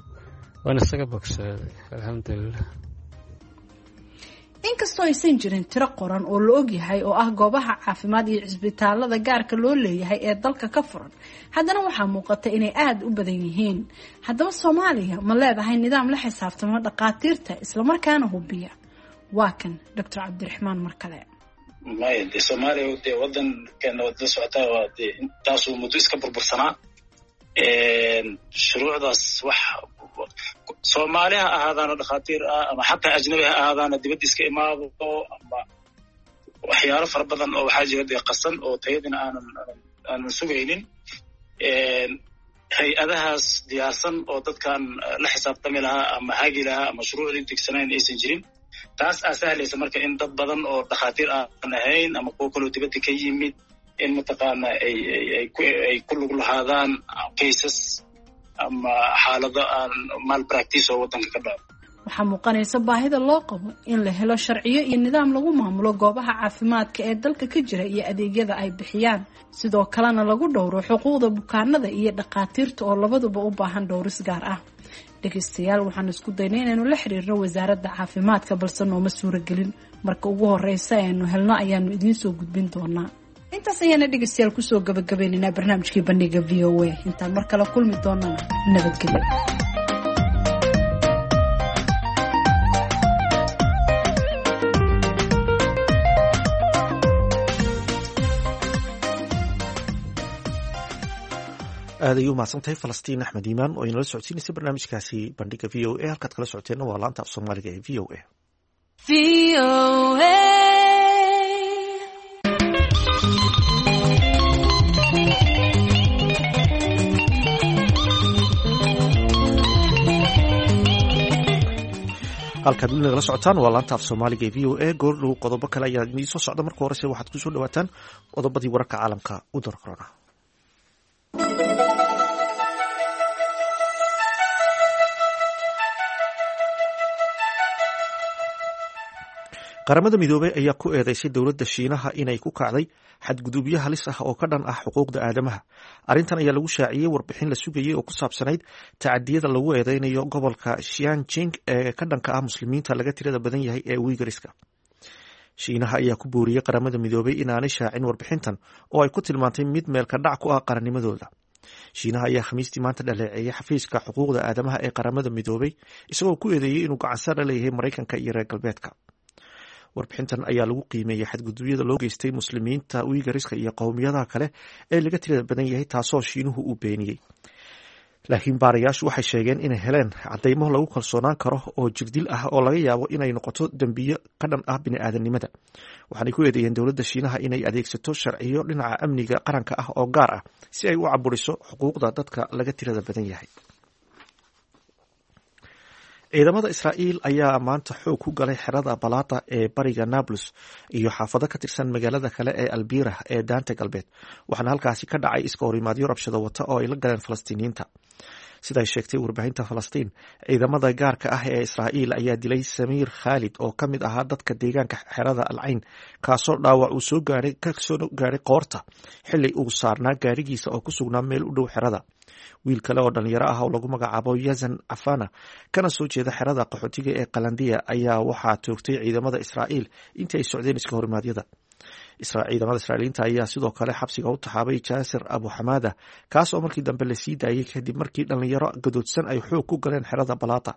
waan isaga bogsooday, alxamdulilah. Inkastoo aysan jirin tiro qoran oo la ogyahay oo ah goobaha caafimaad iyo cisbitaalada gaarka loo leeyahay ee dalka ka furan, haddana waxaa muuqata inay aada u badan yihiin. Haddaba Soomaaliya ma leedahay nidaam la xisaabtamo dhakhaatiirta islamarkaana hubiya? Waa kan Doctor Cabdiraxmaan mar kale. Maya, de Soomaaliya dee waddankeena waad la socotaa, waa dee intaasuu muddo iska burbursanaa. Shuruucdaas wax Soomaali ha ahaadaano dhakhaatiir ah ama xataa ajnabi ha ahaadaano dibadda iska imaado, ama waxyaalo fara badan oo waxaa jira dee qasan oo tayadina aanan sugaynin. Hay-adahaas diyaarsan oo dadkan la xisaabtami lahaa ama hagi lahaa ama shuruucdii degsanayn aysan jirin. Taas aa sahlaysa marka in dad badan oo dhakhaatiir aan ahayn ama kuwo kaloo dibadda ka yimid in mataqaana ay ku lug lahaadaan cases ama xaalado aan malpractice oo waddanka ka dhaco. Waxaa muuqanaysa baahida loo qabo in la helo sharciyo iyo nidaam lagu maamulo goobaha caafimaadka ee dalka ka jira iyo adeegyada ay bixiyaan, sidoo kalena lagu dhowro xuquuqda bukaanada iyo dhakhaatiirta oo labaduba u baahan dhowris gaar ah. Dhegeystayaal, waxaan isku daynay inaynu la xiriirno wasaaradda caafimaadka, balse nooma suuragelin. Marka ugu horeysa aynu helno ayaanu idiin soo gudbin doonaa. Intaas ayaana dhegeystayaal kusoo gabagabaynaynaa barnaamijkii bandhiga VOA. Intaan mar kale kulmi doonana, nabadgelyo. Aad ayuu mahadsantahay Falastiin Axmed Iimaan oo inala socodsiinaysa barnaamijkaasi bandhiga VOA. Halkaad kala socoteenna waa laanta af Soomaaliga ee VOA. Halkaad weli nagala socotaan waa laanta af Soomaaliga ee VOA. Goordhow qodobo kale ayaa idiin soo socda. Marka horese waxaad kusoo dhawaataan qodobadii wararka caalamka u door corona. Qaramada Midoobey ayaa ku eedeysay dowladda Shiinaha inay ku kacday xadgudubyo halis ah oo ka dhan ah xuquuqda aadamaha. Arrintan ayaa lagu shaaciyey warbixin la sugayey oo ku saabsanayd tacadiyada lagu eedeynayo gobolka Shianjing ee ka dhanka ah Muslimiinta laga tirada badan yahay ee Wiigariska. Shiinaha ayaa ku booriyey Qaramada Midoobey inaanay shaacin warbixintan oo ay ku tilmaantay mid meelka dhac ku ah qarannimadooda. Shiinaha ayaa Khamiistii maanta dhaleeceeyay xafiiska xuquuqda aadamaha ee Qaramada Midoobey, isagoo ku eedeeyey inuu gacansaar la leeyahay Maraykanka iyo reer galbeedka. Warbixintan ayaa lagu qiimeeyey xadgudubyada loo geystay Muslimiinta Wiigariska iyo qowmiyadaha kale ee laga tirada badan yahay, taasoo Shiinuhu uu beeniyey. Laakiin baarayaashu waxay sheegeen inay heleen cadeymo lagu kalsoonaan karo oo jirdil ah oo laga yaabo inay noqoto dembiyo ka dhan ah bini'aadanimada. Waxaanay ku eedeeyeen dowladda Shiinaha inay adeegsato sharciyo dhinaca amniga qaranka ah oo gaar ah si ay u caburiso xuquuqda dadka laga tirada badan yahay. Ciidamada Israa'iil ayaa maanta xoog ku galay xerada Balata ee bariga Nablus iyo xaafado ka tirsan magaalada kale ee Albira ee Daanta Galbeed, waxaana halkaasi ka dhacay iska horimaadyo rabshado wata oo ay la galeen Falastiiniyiinta. Siday sheegtay warbaahinta Falastiin, ciidamada gaarka ah ee Israa'iil ayaa dilay Samiir Khaalid oo ka mid ahaa dadka deegaanka xerada Alcayn, kaasoo dhaawac uu soo gaaray ka soo gaaray qoorta xilli uu saarnaa gaarigiisa oo ku sugnaa meel u dhow xerada. Wiil kale oo dhalinyaro ah oo lagu magacaabo Yazan Cafana, kana soo jeeda xerada qaxootiga ee Qalandiya, ayaa waxaa toogtay ciidamada Israa'iil intii ay socdeen iska horimaadyada. Ciidamada Israa'iiliinta ayaa sidoo kale xabsiga u taxaabay Jaasir Abu Xamaada, kaas oo markii dambe lasii daayay kadib markii dhalinyaro gadoodsan ay xoog ku galeen xerada Balata.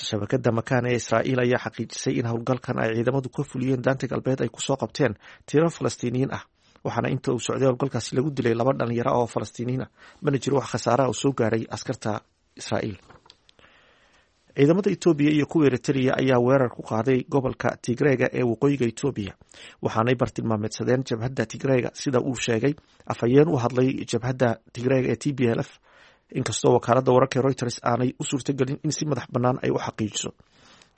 Shabakada Makaan ee Israa'iil ayaa xaqiijisay in howlgalkan ay ciidamadu ka fuliyeen Daanta Galbeed ay kusoo qabteen tiro Falastiiniyiin ah, waxaana inta uu socday howlgalkaasi lagu dilay laba dhalinyaro oo Falastiiniyiin ah. Mana jiro wax khasaaraha oo soo gaaray askarta Israa'iil. Ciidamada Itoobiya iyo kuwa Eritrea ayaa weerar ku qaaday gobolka Tigreega ee waqooyiga Itoobiya, waxaanay bartilmaameedsadeen jabhadda Tigreega, sida uu sheegay afhayeen u hadlay jabhadda Tigreega ee TPLF, inkastoo wakaaladda wararka Reuters aanay u suurtagelin in si madax bannaan ay u xaqiijiso.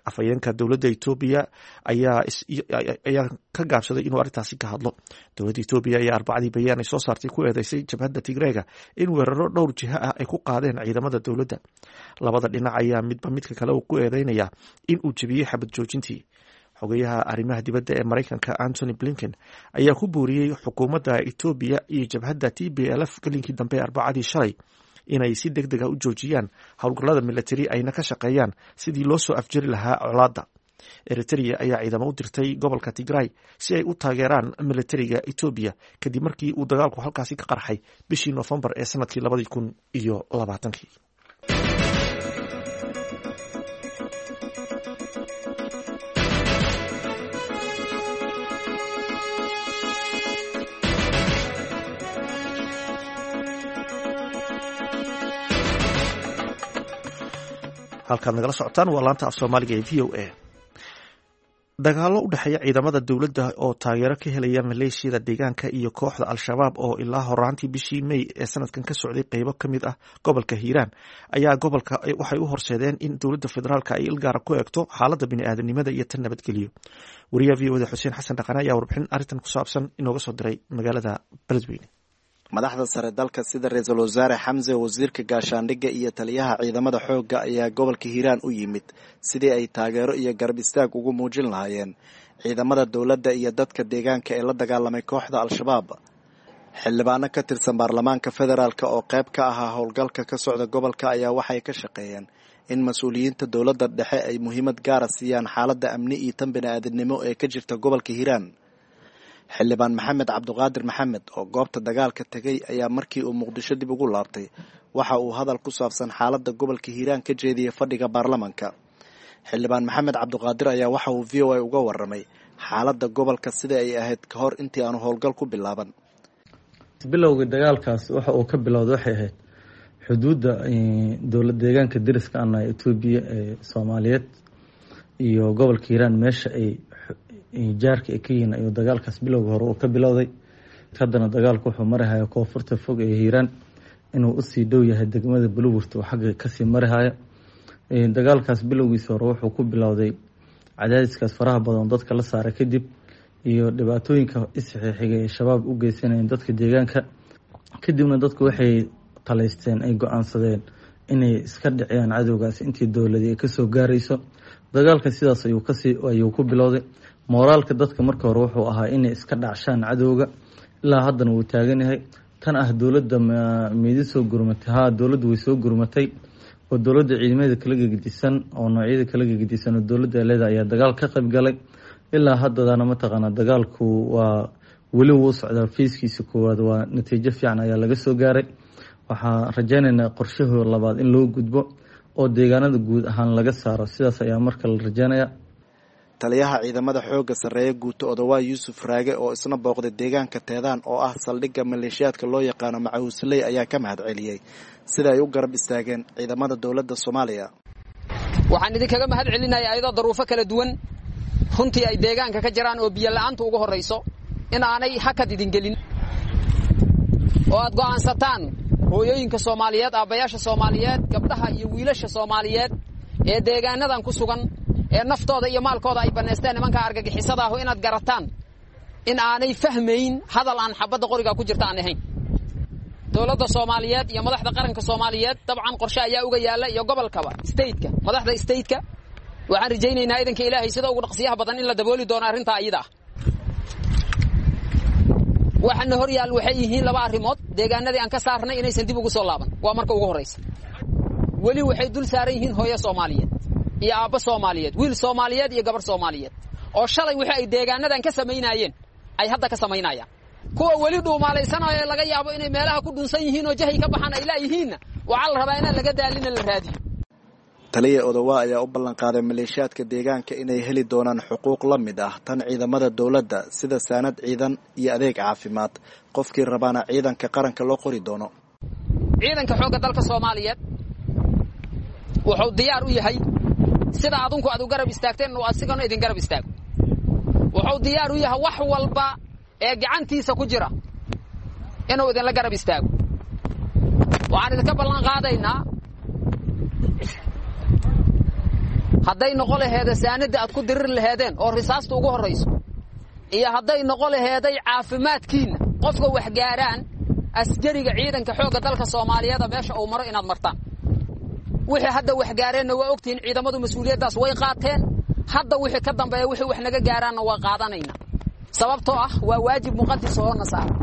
Afhayeenka dowladda Itoobiya ayaa ka gaabsaday inuu arrintaasi ka hadlo. Dowladda Itoobiya ayaa Arbacadii bayaan ay soo saartay ku eedeysay jabhadda Tigreega in weeraro dhowr jiha ah ay ku qaadeen ciidamada dowladda. Labada dhinac ayaa midba midka kale uu ku eedeynayaa in uu jebiyey xabad joojintii. Xogayaha arrimaha dibadda ee Maraykanka Antony Blinken ayaa ku booriyey xukuumadda Itoobiya iyo jabhadda TPLF gelinkii dambe ee Arbacadii shalay inay si deg deg ah u joojiyaan howlgallada milatari ayna ka shaqeeyaan sidii loo soo afjari lahaa colaadda. Eritrea ayaa ciidamo u dirtay gobolka Tigray si ay u taageeraan milatariga Itoobiya kadib markii uu dagaalku halkaasi ka qarxay bishii Noofembar ee sanadkii 2020-kii. Halkaad nagala socotaan waa laanta af Soomaaliga ee VOA. Dagaallo u dhexeeya ciidamada dowladda oo taageero ka helaya maleeshiyada deegaanka iyo kooxda Al-Shabaab oo ilaa horaantii bishii May ee sanadkan ka socday qeybo ka mid ah gobolka Hiiraan ayaa gobolka waxay u horseedeen in dowladda federaalka ay ilgaara ku eegto xaaladda bini'aadanimada iyo tan nabadgelyo. Wariyaha VOA da Xuseen Xasan Dhaqane ayaa warbixin arrintan ku saabsan inooga soo diray magaalada Beledweyne. Madaxda sare dalka sida ra-iisul wasaare Xamse, wasiirka gaashaandhigga iyo taliyaha ciidamada xoogga ayaa gobolka Hiiraan u yimid sidii ay taageero iyo garab istaag ugu muujin lahaayeen ciidamada dowladda iyo dadka deegaanka ee la dagaalamay kooxda Al-Shabaab. Xildhibaano ka tirsan baarlamaanka federaalk oo qayb ka ahaa howlgalka ka socda gobolka ayaa waxay ka shaqeeyeen in mas-uuliyiinta dowladda dhexe ay muhiimad gaara siiyaan xaaladda amni iyo tan bini'aadamnimo ee ka jirta gobolka Hiiraan. Xildhibaan Maxamed Cabdiqaadir Maxamed oo goobta dagaalka tegay ayaa markii uu Muqdisho dib ugu laabtay waxa uu hadal ku saabsan xaaladda gobolka Hiiraan ka jeediyey fadhiga baarlamaanka. Xildhibaan Maxamed Cabdiqaadir ayaa waxa uu VOA uga waramay xaaladda gobolka sida ay ahayd ka hor intii aanu howlgal ku bilaaban. Bilowga dagaalkaas waxa uu ka bilowday waxay ahayd xuduudda dowlad deegaanka deriska ana Itoobiya ee Soomaaliyeed iyo gobolka Hiiraan, meesha ay jaarka ay ka yihiin ayuu dagaalkaas bilowga hore uu ka bilowday. Haddana dagaalku wuxuu marihaya koonfurta fog ee Hiiraan, inuu usii dhow yahay degmada Buluburta oo xagga kasii marihaya. Dagaalkaas bilowgiisa hore wuxuu ku bilowday cadaadiskaas faraha badan dadka la saaray kadib iyo dhibaatooyinka isxixigay ee Shabaab u geysanayeen dadka deegaanka. Kadibna dadku waxay talaysteen, ay go-aansadeen inay iska dhiciyaan cadowgaas intii dowladii ay kasoo gaarayso. Dagaalka sidaas ayuu ku bilowday. Mooraalka dadka marka hore wuxuu ahaa inay iska dhacshaan cadowga, ilaa haddana wuu taagan yahay. Tan ah dowladda midi soo gurmatay, haa, dowladdu way soo gurmatay oo dowladda ciidamada kala gegedisan oo noocyada kala gegedisan oo dowladda leeda ayaa dagaal ka qayb galay. Ilaa haddadana mataqaanaa dagaalku waa weli wuu socdaa. Fiiskiisa koowaad waa natiijo fiican ayaa laga soo gaaray. Waxaan rajeynaynaa qorshahoo labaad in loo gudbo oo deegaanada guud ahaan laga saaro, sidaas ayaa marka la rajeynayaa. Taliyaha ciidamada xoogga sarreeya guuto Odawaa Yuusuf Raage oo isna booqday deegaanka Teedaan oo ah saldhigga maleeshiyaadka loo yaqaano Macawisley ayaa ka mahad celiyey sida ay u garab istaageen ciidamada dowladda Soomaaliya. Waxaan idinkaga mahad celinayaa ayadoo daruufo kala duwan runtii ay deegaanka ka jiraan oo biyo la'aantu ugu horrayso in aanay hakad idin gelin oo aad go'aansataan hooyooyinka Soomaaliyeed, aabbayaasha Soomaaliyeed, gabdhaha iyo wiilasha Soomaaliyeed ee deegaanadan ku sugan ee naftooda iyo maalkooda ay bannaysteen nimanka argagixisada ahu inaad garataan in aanay fahmayn hadal aan xabadda qoriga ku jirta aan ahayn. Dowladda Soomaaliyeed iyo madaxda qaranka Soomaaliyeed dabcan qorshe ayaa uga yaalla iyo gobolkaba stateka, madaxda stateka waxaan rajaynaynaa idanka Ilaahay sida ugu dhaqsiyaha badan in la dabooli doono arrintaa iyada ah. Waxaana hor yaal waxay yihiin laba arrimood: deegaanadii aan ka saarnay inaysan dib ugu soo laaban waa marka ugu horraysa. Weli waxay dul saaran yihiin hooyo Soomaaliyeed iyo aabbo Soomaaliyeed, wiil Soomaaliyeed iyo gabar Soomaaliyeed oo shalay wixii ay deegaanadan ka samaynayeen ay hadda ka samaynayaan. Kuwa weli dhuumaalaysanaayo ee laga yaabo inay meelaha ku dhunsan yihiin oo jahay ka baxaan ay laayihiinna waxaa la rabaa inaan laga daalina la raadiyo. Taliya Odawaa ayaa u ballanqaaday maleeshiyaadka deegaanka inay heli doonaan xuquuq la mid ah tan ciidamada dowladda sida saanad ciidan iyo adeeg caafimaad, qofkii rabaana ciidanka qaranka loo qori doono. Ciidanka xoogga dalka Soomaaliyeed wuxuu diyaar u yahay sida adunku aad u garab istaagteen inuu asigana idin garab istaago. Wuxuu diyaar u yahay wax walba ee gacantiisa ku jira inuu idinla garab istaago. Waxaan idinka ballan qaadaynaa hadday noqo laheeda saanada aad ku dirir laheedeen oo risaasta ugu horrayso, iyo hadday noqo laheeday caafimaadkiinna qofka wax gaaraan askariga ciidanka xoogga dalka Soomaaliyeed meesha uu maro inaad martaan. Wixii hadda wax gaareenna waa ogtihiin, ciidamadu mas-uuliyaddaas way qaateen. Hadda wixii ka dambeeya wixii wax naga gaaraanna waa qaadanaynaa, sababtoo ah waa waajib muqadas oo na saaran.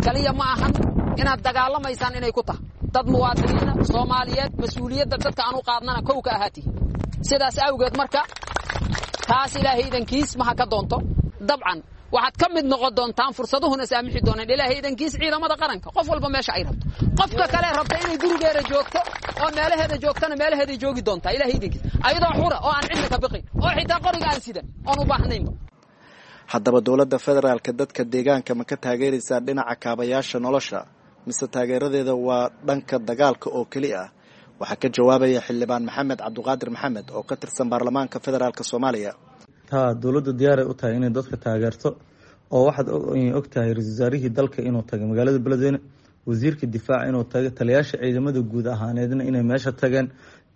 Kaliya ma ahan inaad dagaalamaysaan inay ku tahay dad muwaadiniina Soomaaliyeed, mas-uuliyadda dadka aan u qaadnana kow ka ahaatihi. Sidaas awgeed marka taas Ilaahay idankiis maha ka doonto. Dabcan waxaad ka mid noqon doontaan, fursaduhuna saamixi doonaan Ilaahay idankiis ciidamada qaranka, qof walba meesha ay rabto. Qofka kale rabta inay gurigeeda joogto oo meelaheeda joogtana meelaheeday joogi doontaa Ilaahay idankiis, ayadoo xura oo aan cidna ka biqin oo xitaa qoriga aan sidan oon u baahnaynba. Haddaba dowladda federaalka dadka deegaanka ma ka taageeraysaa dhinaca kaabayaasha nolosha mise taageeradeeda waa dhanka dagaalka oo keli ah? Waxaa ka jawaabaya xildhibaan Maxamed Cabdiqaadir Maxamed oo ka tirsan baarlamaanka federaalk Soomaaliya. Taa dowladda diyaaray u tahay inay dadka taageerto, oo waxaad og tahay ra-iisul wasaarihii dalka inuu tagay magaalada Beledweyne, wasiirka difaaca inuu tagay, taliyaasha ciidamada guud ahaaneedna inay meesha tageen,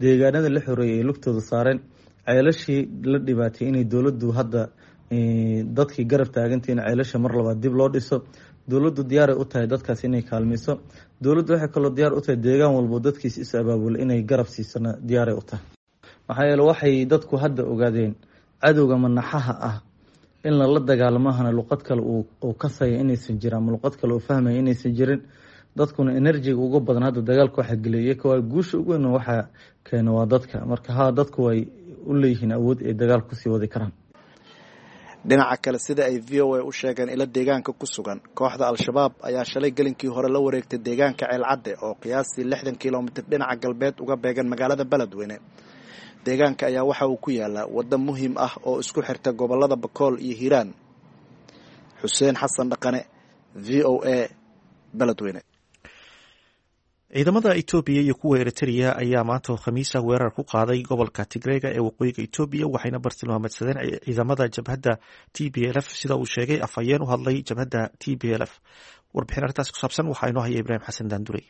deegaanada la xoreeyay ay lugtooda saareen, ceelashii la dhibaatay inay dowladdu hadda dadkii garab taagantay in ceelasha mar labaad dib loo dhiso. Dowladdu diyaaray u tahay dadkaas inay kaalmayso. Dowladdu waxay kaloo diyaar u tahay deegaan walbo dadkiis is abaabula inay garab siisana diyaaray u tahay. Maxaa yeele waxay dadku hadda ogaadeen cadowga manaxaha ah in lala dagaalamahana luqad kale uu kasaya inaysan jirin ama luqad kale uu fahmaya inaysan jirin. Dadkuna enerjiga uga badan hadda dagaalka waxaa geliyay waa guusha ugu weyn waxaa keena waa dadka. Marka haa, dadku way u leeyihiin awood ay dagaal kusii wadi karaan. Dhinaca kale, sida ay VOA u sheegeen ilo deegaanka ku sugan, kooxda Al-Shabaab ayaa shalay gelinkii hore la wareegtay deegaanka Ceelcadde oo qiyaastii 60 kilomitir dhinaca galbeed uga beegan magaalada Beledweyne. Deegaanka ayaa waxa uu ku yaalaa waddo muhiim ah oo isku xirta gobollada Bakool iyo Hiiraan. Xuseen Xasan Dhaqane, VOA, Beledweyne. Ciidamada Itoobiya iyo kuwa Eritrea ayaa maanta oo Khamiisa weerar ku qaaday gobolka Tigreega ee waqooyiga Itoobiya, waxayna bartilmaameedsadeen ciidamada jabhadda TPLF, sida uu sheegay afhayeen u hadlay jabhadda TPLF. Warbixin arrintaas ku saabsan waxaa inoo haya Ibraahim Xasan Daandurey.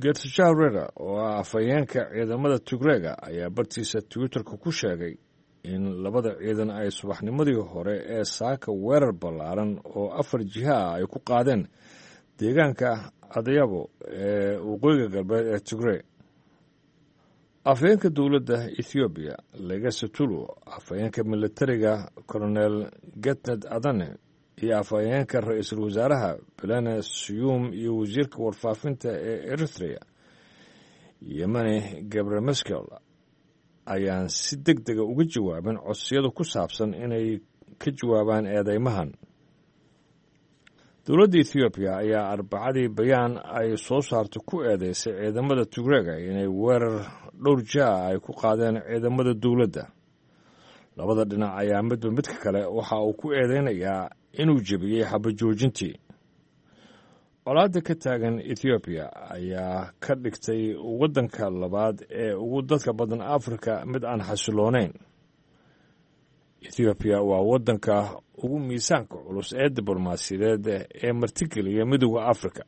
Geertishaah Rera oo ah afhayeenka ciidamada Tigreega ayaa bartiisa Twitterka ku sheegay in labada ciidan ay subaxnimadii hore ee saaka weerar ballaaran oo 4 jiha ah ay ku qaadeen deegaanka Adayabo ee waqooyiga galbeed ee Tigrey. Afhayeenka dowladda Ethoobiya Legesse Tulu, afhayeenka militariga Colonel Getnet Adane iyo afhayeenka ra-iisul wasaaraha Belene Siyuum iyo wasiirka warfaafinta ee Eritrea Yemane Gebre Meskel ayaan si deg dega uga jawaabin codsiyada ku saabsan inay ka jawaabaan eedeymahan. Dowladda Ethoobiya ayaa Arbacadii bayaan ay soo saartay ku eedeysay ciidamada Tigreega inay weerar dhowr jaa ay ku qaadeen ciidamada dowladda. Labada dhinac ayaa midba midka kale waxa uu ku eedeynayaa inuu jebiyey xabajoojintii. Colaadda ka taagan Ethoobiya ayaa ka dhigtay waddanka labaad ee ugu dadka badan Afrika mid aan xasiloonayn. Ethoobiya waa waddanka ugu miisaanka culus ee diblomaasiyadeed ee martigeliya Midowda Afrika.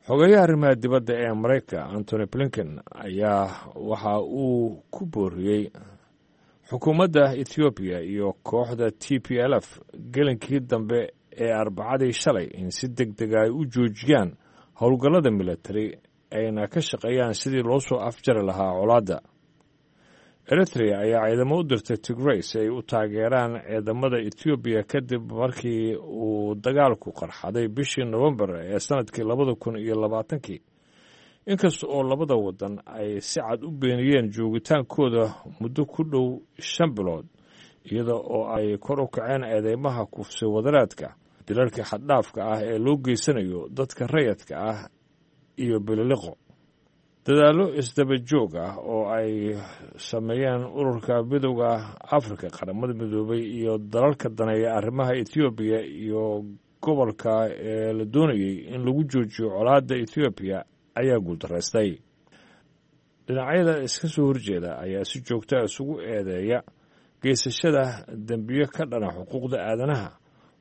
Xogeyaha arrimaha dibadda ee Maraykanka Antony Blinken ayaa waxa uu ku booriyey xukuumadda Ethoobiya iyo kooxda TPLF gelinkii dambe ee Arbacadii shalay in si deg dega ay u joojiyaan howlgallada militari ayna ka shaqeeyaan sidii loo soo afjari lahaa colaadda. Eritrea ayaa ciidamo u dirtay Tigrey si ay u taageeraan ciidamada Etoobiya kadib markii uu dagaalku qarxaday bishii Nofembar ee sanadkii 2020-kii, inkasta oo labada waddan ay si cad u beeniyeen joogitaankooda muddo ku dhow 5 bilood, iyada oo ay kor u kaceen eedeymaha kufsi wadaraadka, dilalka xaddhaafka ah ee loo geysanayo dadka rayadka ah iyo bililiqo. Dadaallo isdaba joog ah oo ay sameeyeen ururka Midowda Afrika, Qaramada Midoobay iyo dalalka daneeya arrimaha Ethoobiya iyo gobolka ee la doonayey in lagu joojiyo colaadda Ethoobiya ayaa guuldaraystay. Dhinacyada iska soo horjeeda ayaa si joogta isugu eedeeya geysashada dembiyo ka dhana xuquuqda aadanaha,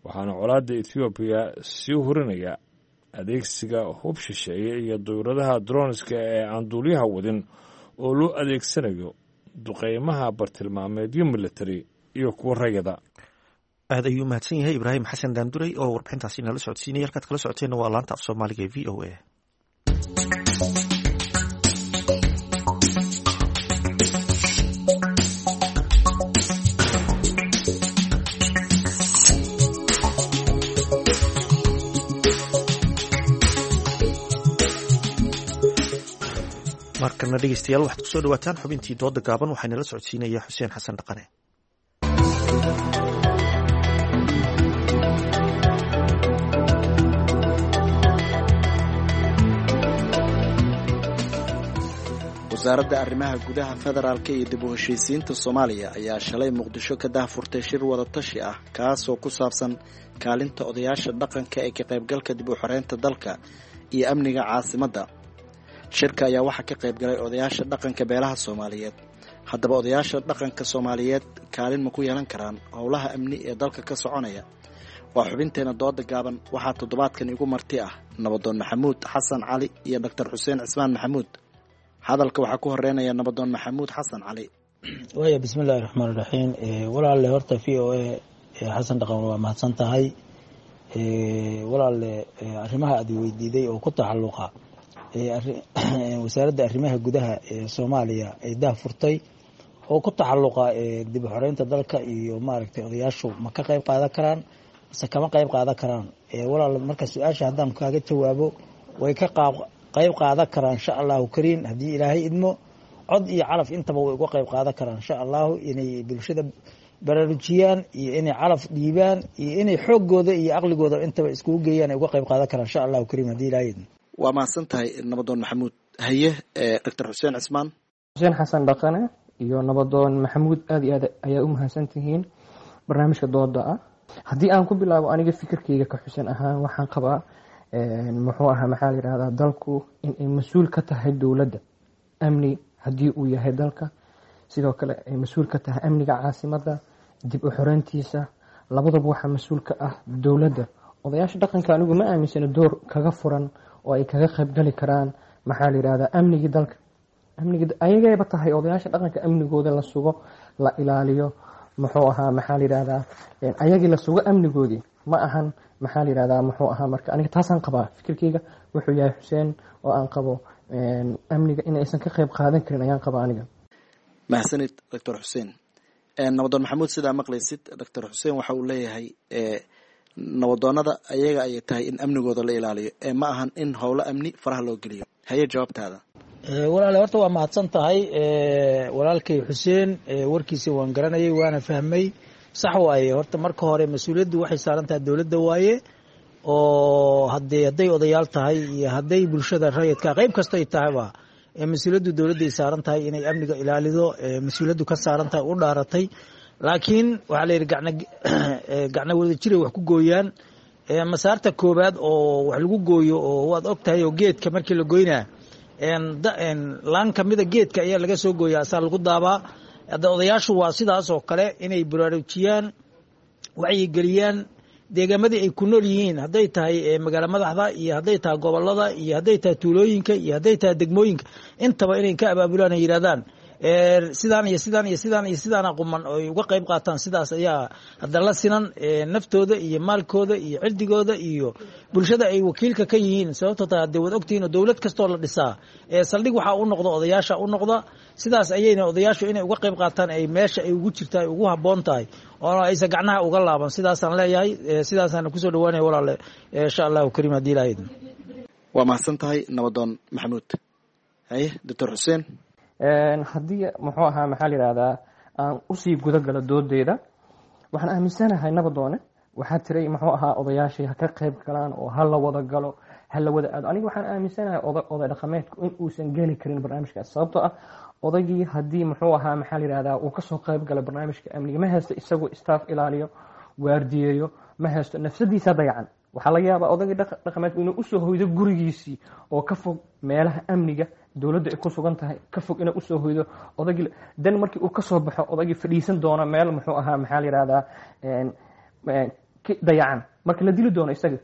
waxaana colaadda Ethoobiya sii hurinaya adeegsiga hub shisheeye iyo dawladaha droniska ee aan duuliyaha wadin oo loo adeegsanayo duqeymaha bartilmaameedyo militari iyo kuwa rayada. Aad ayuu mahadsan yahay Ibraahim Xasan Daanduray oo warbixintaasi nala socodsiinaya. Halkaad kala socoteenna waa laanta af Soomaaliga ee VOA. Markana dhegeystayaal, waxaad kusoo dhawaataan xubintii dooda gaaban. Waxaa nala socodsiinaya Xuseen Xasan Dhaqane. Wasaaradda Arrimaha Gudaha, Federaalka iyo dib u heshiisiinta Soomaaliya ayaa shalay Muqdisho ka daahfurtay shir wadatashi ah, kaasoo ku saabsan kaalinta odayaasha dhaqanka ee ka qaybgalka dib u xoreynta dalka iyo amniga caasimadda. Shirka ayaa waxaa ka qayb galay odayaasha dhaqanka beelaha Soomaaliyeed. Haddaba, odayaasha dhaqanka Soomaaliyeed kaalin ma ku yeelan karaan howlaha amni ee dalka ka soconaya? Waa xubinteena dooda gaaban. Waxaa toddobaadkan igu marti ah Nabadoon Maxamuud Xasan Cali iyo Doctor Xuseen Cismaan Maxamuud. Hadalka waxaa ku horeynaya Nabadoon Maxamuud Xasan Cali. Waaya, bismillahi raxmaan raxiim. Walaalle, horta VOA Xasan Dhaqan waa mahadsan tahay. Walaalle, arrimaha aad weydiiday oo ku taxalluqa Wasaaradda Arrimaha Gudaha ee Soomaaliya ay daah furtay oo ku taxalluqa dib u xoreynta dalka iyo maaragtay odayaashu ma ka qayb qaadan karaan mase kama qayb qaadan karaan, walaal, marka su-aasha haddaan kaaga jawaabo, way ka qayb qaadan karaan, insha Allahu kariim, haddii Ilaahay idmo. Cod iyo calaf intaba way uga qayb qaadan karaan, insha Allahu, inay bulshada baraarujiyaan iyo inay calaf dhiibaan iyo inay xooggooda iyo aqligooda intaba iskugu geeyaan ay uga qayb qaadan karaan, insha Allahu kariim, haddii Ilaahay idmo. Waa mahadsan tahay, Nabadoon Maxamuud. Haye, Doctor Xuseen Cismaan. Xuseen Xasan Dhaqane iyo Nabadoon Maxamuud, aad iyo aad ayaa u mahadsan tihiin barnaamijka dooda ah. Haddii aan ku bilaabo aniga fikirkeyga ka Xuseen ahaan, waxaan qabaa, muxuu ahaa, maxaa la yidhahdaa, dalku inay mas-uul ka tahay dowladda amni haddii uu yahay dalka, sidoo kale ay mas-uul ka tahay amniga caasimadda dib u xoreyntiisa. Labadaba waxaa mas-uul ka ah dowladda. Odayaasha dhaqanka anigu ma aaminsano door kaga furan oo ay kaga qaybgali karaan, maxaa la yidhahdaa, amnigii dalka. Amnigii ayagayba tahay odayaasha dhaqanka amnigooda la sugo, la ilaaliyo, muxuu ahaa, maxaa la yidhahdaa, ayagii la sugo amnigoodii ma ahan, maxaa la yidhahdaa, muxuu ahaa. Marka aniga taasaan qabaa. Fikirkeyga wuxuu yahay, Xuseen, oo aan qabo amniga in aysan ka qayb qaadan karin ayaan qabaa aniga. Mahadsanid, Doctor Xuseen. Nabadoon Maxamuud, sidaa maqlaysid, Doctor Xuseen waxa uu leeyahay nabadoonada ayaga ayay tahay in amnigooda la ilaaliyo ee ma ahan in howlo amni faraha loo geliyo. Haye, jawaabtaada. Walaale, horta waa mahadsan tahay walaalkay Xuseen. Warkiisa waan garanayay waana fahmay. Sax waaye. Horta marka hore mas-uuliyaddu waxay saaran tahay dowladda waaye, oo hadee hadday odayaal tahay iyo hadday bulshada rayidka qayb kasto ay tahayba Mas-uuliyaddu dowladday saaran tahay inay amniga ilaalido, mas-uuliyaddu ka saaran tahay u dhaaratay. Laakiin waxaa la yidhi gacna wada jiray wax ku gooyaan. Masaarta koobaad oo wax lagu gooyo oo waad og tahay, oo geedka markii la goynaa laan kamida geedka ayaa laga soo gooyaa, asaa lagu daabaa. Hadda odayaashu waa sidaas oo kale, inay baraarujiyaan, wacyigeliyaan deegaamadii ay ku nool yihiin, hadday tahay magaalo madaxda iyo hadday tahay gobolada iyo hadday tahay tuulooyinka iyo hadday tahay degmooyinka, intaba inay ka abaabulaan ay yidhahdaan sidaan iyo sidaan iyo sidaan iyo sidaana quman oo ay uga qayb qaataan. Sidaas ayaa hadda la sinan naftooda iyo maalkooda iyo cirdigooda iyo bulshada ay wakiilka ka yihiin. Sababto taa hadee waad ogtihiin oo dowlad kastoo la dhisaa saldhig waxaa u noqda odayaasha u noqda. Sidaas ayayna odayaashu inay uga qayb qaataan ay meesha ay ugu jirta ay ugu habboon tahay oo aysan gacnaha uga laaban. Sidaasaan leeyahay, sidaasaan kusoo dhawaanaya walaale, insha Allahu kariim haddii Ilahay idmo. Waa mahadsan tahay nabadoon Maxamuud. Haye, Doctor Xuseen. Haddii muxuu ahaa maxaa la yidhahdaa aan usii guda galo doodeyda, waxaan aaminsanahay nabadoone waxaa tiray muxuu ahaa odayaashii ha ka qayb galaan oo ha la wada galo, ha la wada aado. Aniga waxaan aaminsanahay oday dhaqameedku in uusan geli karin barnaamijkaas, sababtoo ah odaygii haddii muxuu ahaa maxaa la yidhahdaa uu kasoo qayb galo barnaamijka amniga, ma haysto isagoo staff ilaaliyo waardiyeeyo, ma haysto, nafsadiisa dayacan. Waxaa laga yaabaa odaygii dhaqameedku inuu usoo hoydo gurigiisii oo ka fog meelaha amniga dowladda ay ku sugan tahay, ka fog inuu usoo hoydo odaygii. Dan markii uu kasoo baxo odaygii fadhiisan doono meel muxuu ahaa maxaa la yidhahdaa dayacan, marka la dili doono isaga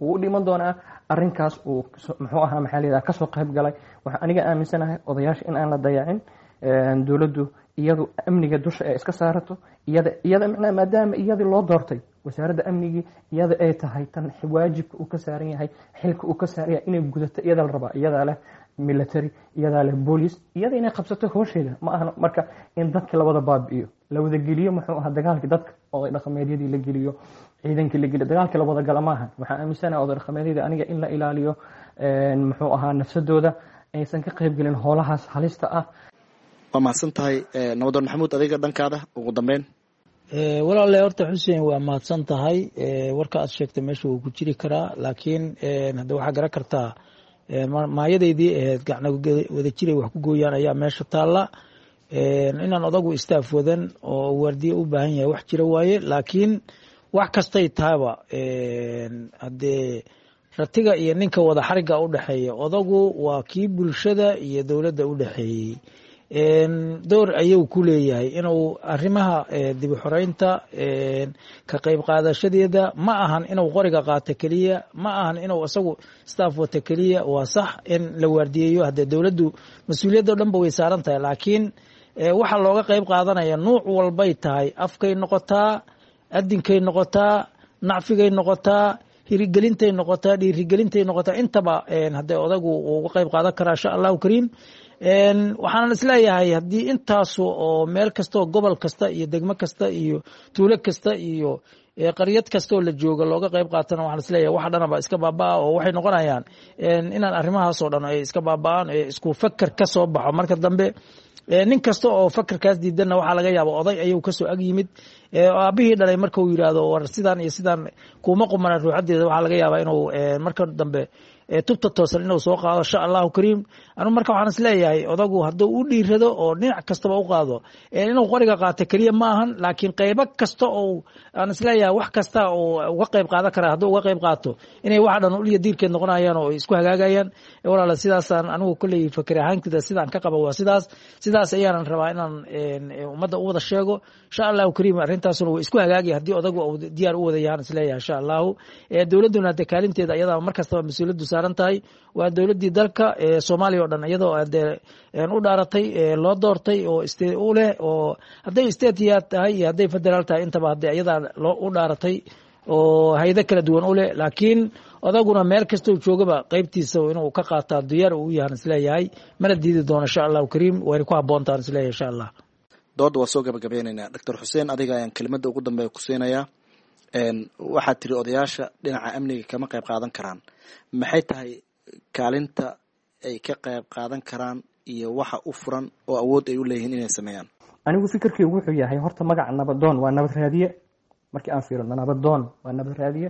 wuu u dhiman doonaa arrinkaas uu muxuu ahaa maxaa la yidhahdaa kasoo qayb galay. Waxaan aniga aaminsanahay odayaasha in aan la dayacin, dowladdu iyadu amniga dusha ay iska saarato, iyada macnaha maadaama iyadii loo doortay wasaaradda amnigii, iyada ay tahay tan waajibka uu ka saaran yahay, xilka uu ka saaran yahay inay gudato iyada la rabaa. Iyadaa leh military, iyadaa leh boolice, iyada inay qabsato howsheeda ma ahna. Marka in dadka la wada baabi'iyo, la wada geliyo muxuu ahaa dagaalkii, dadka oday dhaqameedyadii la geliyo, ciidankii la geliyo, dagaalkii la wada gala maaha. Waxaan aaminsanahay oday dhaqameedyada aniga in la ilaaliyo muxuu ahaa nafsadooda, aysan ka qayb gelin howlahaas halista ah. Waa mahadsan tahay nabadoon Maxamuud. Adiga dhankaada ugu dambeyn. Walaale horta Xuseen waa mahadsan tahay. Warka aad sheegtay meesha wuu ku jiri karaa, laakiin hadda waxaa garan kartaa maayadaydii ahayd gacna wada jiray wax ku gooyaan ayaa meesha taalla. Inaan odagu istaaf wadan oo waardiye u baahan yahay wax jira waaye, laakiin wax kastay tahayba haddee ratiga iyo ninka wada xariga u dhexeeya, odagu waa kii bulshada iyo dowladda u dhexeeyey. Door ayuu ku leeyahay inuu arrimaha dib u xoreynta ka qayb qaadashadeeda. Ma ahan inuu qoriga qaato keliya, ma ahan inuu isagu staff wato keliya. Waa sax in la waardiyeeyo, haddee dowladdu mas-uuliyadda o dhan ba way saaran tahay, laakiin waxaa looga qayb qaadanaya nuuc walbay tahay: afkay noqotaa, adinkay noqotaa, nacfigay noqotaa, hirigelintay noqotaa, dhiirigelintay noqotaa, intaba haddee odagu uu uga qayb qaadan karaa insha Allahu kariim. Waxaanan isleeyahay haddii intaasu oo meel kasta oo gobol kasta iyo degmo kasta iyo tuulo kasta iyo qaryad kasta oo la jooga looga qayb qaatana, waxaan isleeyahay waxa dhanaba iska baabaa oo waxay noqonayaan inaan arrimahaas oo dhan ay iska baaba'aan, ee isku fakar ka soo baxo. Marka dambe nin kasta oo fakarkaas diidanna waxaa laga yaaba oday ayuu kasoo ag yimid aabihii dhalay, marka uu yidhaahdo war sidaan iyo sidaan kuma qumana ruuxadeeda, waxaa laga yaabaa inuu marka dambe tubta toosan inuu soo qaado insha Allahu kariim. Anu marka waxaan isleeyahay odagu hadduu u dhiirado oo dhinac kastaba u qaado, inuu qoriga qaato keliya ma ahan, laakiin qaybo kasta oo aan isleeyahay wax kasta oo uga qayb qaadan karaa hadduu uga qayb qaato, inay waxa dhan uliya diirkeed noqonayaan oo isku hagaagayaan. Walaala, sidaasaan anigu kolley fakir ahaankida sidaan ka qaba waa sidaas. Sidaas ayaanan rabaa inaan ummadda u wada sheego insha Allahu kariim. Arrintaasuna way isku hagaagaya haddii odagu uu diyaar u wada yahaan isleeyahay insha Allahu. Dowladduna hadee kaalinteeda iyada mar kastaba mas-uuliyaddu saaran tahay, waa dowladdii dalka Soomaaliya oo dhan iyadoo dee u dhaaratay, loo doortay oo u leh, oo hadday state ya tahay iyo hadday federaal tahay intaba hadee iyadaa loo u dhaaratay oo hayado kala duwan u leh. Laakiin odaguna meel kasta uu joogaba qaybtiisa inuu ka qaataa diyaar uu yahan isleeyahay, mana diidi doono insha Allahu kariim, wayna ku habboontaan isleeyahay insha Allah. Dooda waa soo gabagabeynaynaa. Doctor Xuseen, adiga ayaan kelimada ugu dambeeya ku siinayaa. Waxaad tiri odayaasha dhinaca amniga kama qayb qaadan karaan. Maxay tahay kaalinta ay ka qayb qaadan karaan iyo waxa u furan oo awood ay u leeyihiin inay sameeyaan? Anigu fikirkaygu wuxuu yahay horta magaca nabadoon waa nabad raadiye. Markii aan fiirino, nabadoon waa nabad raadiye.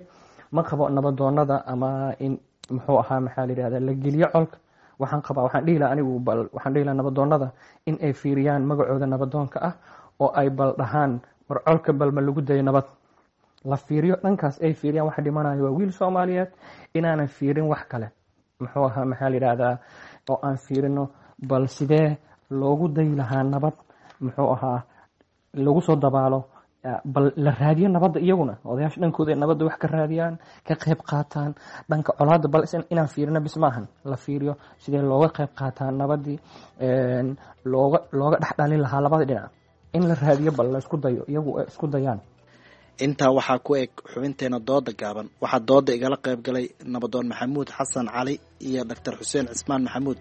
Ma qabo nabadoonada ama in muxuu ahaa maxaa la yidhahda la geliyo colka. Waxaan qabaa, waxaan dhihi lahaa anigu, bal waxaan dhihi lahaa nabadoonnada in ay fiiriyaan magacooda nabadoonka ah oo ay bal dhahaan war colka bal ma lagu dayo nabad la fiiriyo, dhankaas ay fiiriyaan. Waxa dhimanayo waa wiil Soomaaliyeed, inaanan fiirin wax kale, muxuu ahaa, maxaa la yidhaahdaa, oo aan fiirino bal sidee loogu dayi lahaa nabad, muxuu ahaa, lagu soo dabaalo, bal la raadiyo nabadda. Iyaguna odayaasha dhankooda ay nabadda wax ka raadiyaan, ka qayb qaataan. Dhanka colaadda bal inaan fiirino bis maahan, la fiiriyo sidee looga qayb qaataa nabaddii, looga dhexdhalin lahaa labada dhinac, in la raadiyo, bal la isku dayo, iyagu ay isku dayaan. Intaa waxaa ku eg xubinteena dooda gaaban. Waxaa dooda igala qayb galay nabadoon Maxamuud Xasan Cali iyo Doctor Xuseen Cismaan Maxamuud.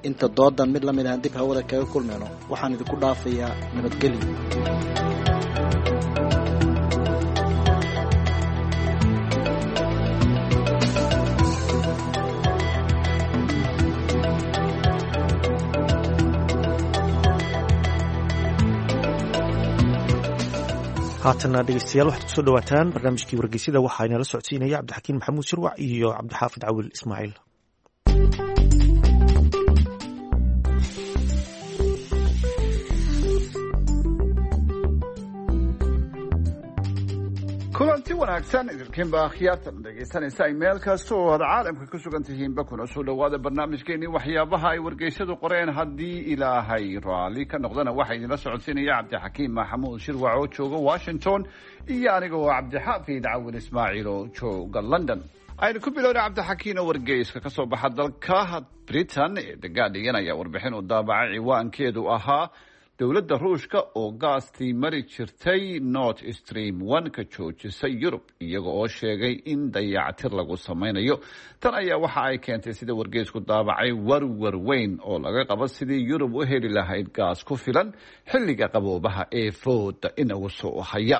Inta doodan mid lamid ahaan dib hawada kaga kulmayno, waxaan idinku dhaafayaa nabadgelyo. Haatana dhegeystayaal, waxaad kusoo dhawaataan barnaamijkii wargeysyada. Waxaa inala socodsiinaya Cabdixakiin Maxamuud Shirwac iyo Cabdixaafid Cawil Ismaaciil. Kulanti wanaagsan idilkiinba akhyaartan dhegaysanaysa ay meel kasta oo aad caalamka ku sugan tihiinba, kuna soo dhawaada barnaamijkeenii waxyaabaha ay wargeysyadu qoreen. Haddii Ilaahay raalli ka noqdana, waxaa idinla socodsiinaya Cabdixakiim Maxamuud Shirwac oo jooga Washington iyo aniga oo Cabdixaafid Cawil Ismaaciil oo jooga London. Aynu ku bilowna, Cabdixakiin, oo wargeyska ka soo baxa dalka Britain ee The Guardian ayaa warbixin uu daabacay ciwaankeedu ahaa dowladda Ruushka oo gaastii mari jirtay Nord Stream 1 ka joojisay Yurub, iyaga oo sheegay in dayactir lagu sameynayo. Tan ayaa waxa ay keentay, sida wargeysku daabacay, warwar weyn oo laga qabo sidii Yurub u heli lahayd gaas ku filan xilliga qaboobaha ee fooda inagu soo haya.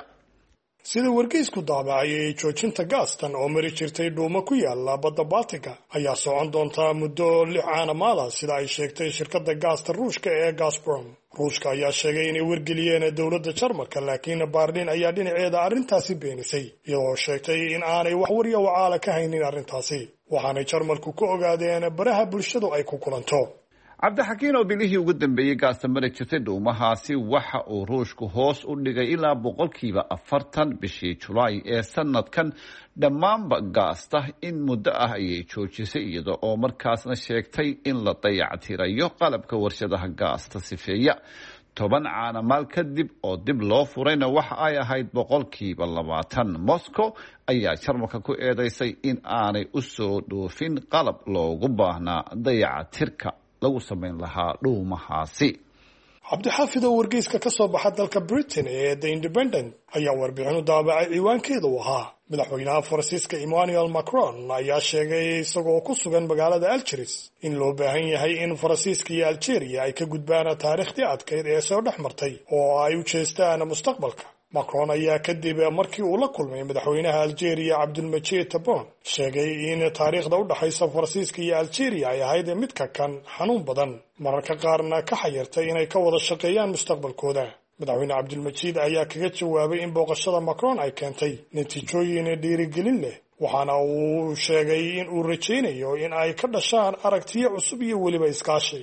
Sida wargeysku daabacayay, joojinta gaastan oo mari jirtay dhuumo ku yaala badda Baltiga ayaa socon doontaa muddo 6 caanamaada, sida ay sheegtay shirkadda gaasta Ruushka ee Gazprom. Ruushka ayaa sheegay inay wargeliyeen dowladda Jarmalka, laakiin Baarlin ayaa dhinaceeda arrintaasi beenisay, iyadoo sheegtay in aanay wax warya wacaala ka haynin arrintaasi, waxaanay Jarmalku ku ogaadeen baraha bulshadu ay ku kulanto. Cabdixakiin, oo bilihii ugu dambeeyey gaasta mari jirtay dhuumahaasi waxa uu Ruushku hoos u dhigay ilaa 40% bishii Julaay ee sanadkan. Dhammaanba gaasta in muddo ah ayay joojisay, iyada oo markaasna sheegtay in la dayactirayo qalabka warshadaha gaasta sifeeya. 10 caanamaal kadib oo dib loo furayna waxa ay ahayd 20%. Moscow ayaa Jarmalka ku eedeysay in aanay u soo dhoofin qalab loogu baahnaa dayacatirka lagu samayn lahaa dhuumahaasi. Cabdixaafid, oo wargeyska ka soo baxa dalka Britain ee The Independent ayaa warbixin u daabacay ciwaankeeda u ahaa madaxweynaha Faransiiska Emmanuel Macron ayaa sheegay isagoo ku sugan magaalada Algeris in loo baahan yahay in Faransiiska iyo Algeria ay ka gudbaan taariikhdii adkayd ee soo dhex martay oo ay u jeestaan mustaqbalka. Macron ayaa kadib markii uu la kulmay madaxweynaha Algeria Cabdulmajid Tabon sheegay in taariikhda u dhaxaysa Faransiiska iyo Algeria ay ahayd mid ka kan xanuun badan, mararka qaarna ka xayirtay inay ka wada shaqeeyaan mustaqbalkooda. Madaxweyne Cabdulmajiid ayaa kaga jawaabay in booqashada Macron ay keentay natiijooyin dhiirigelin leh, waxaana uu sheegay in uu rajaynayo in ay ka dhashaan aragtiyo cusub iyo weliba iskaashi.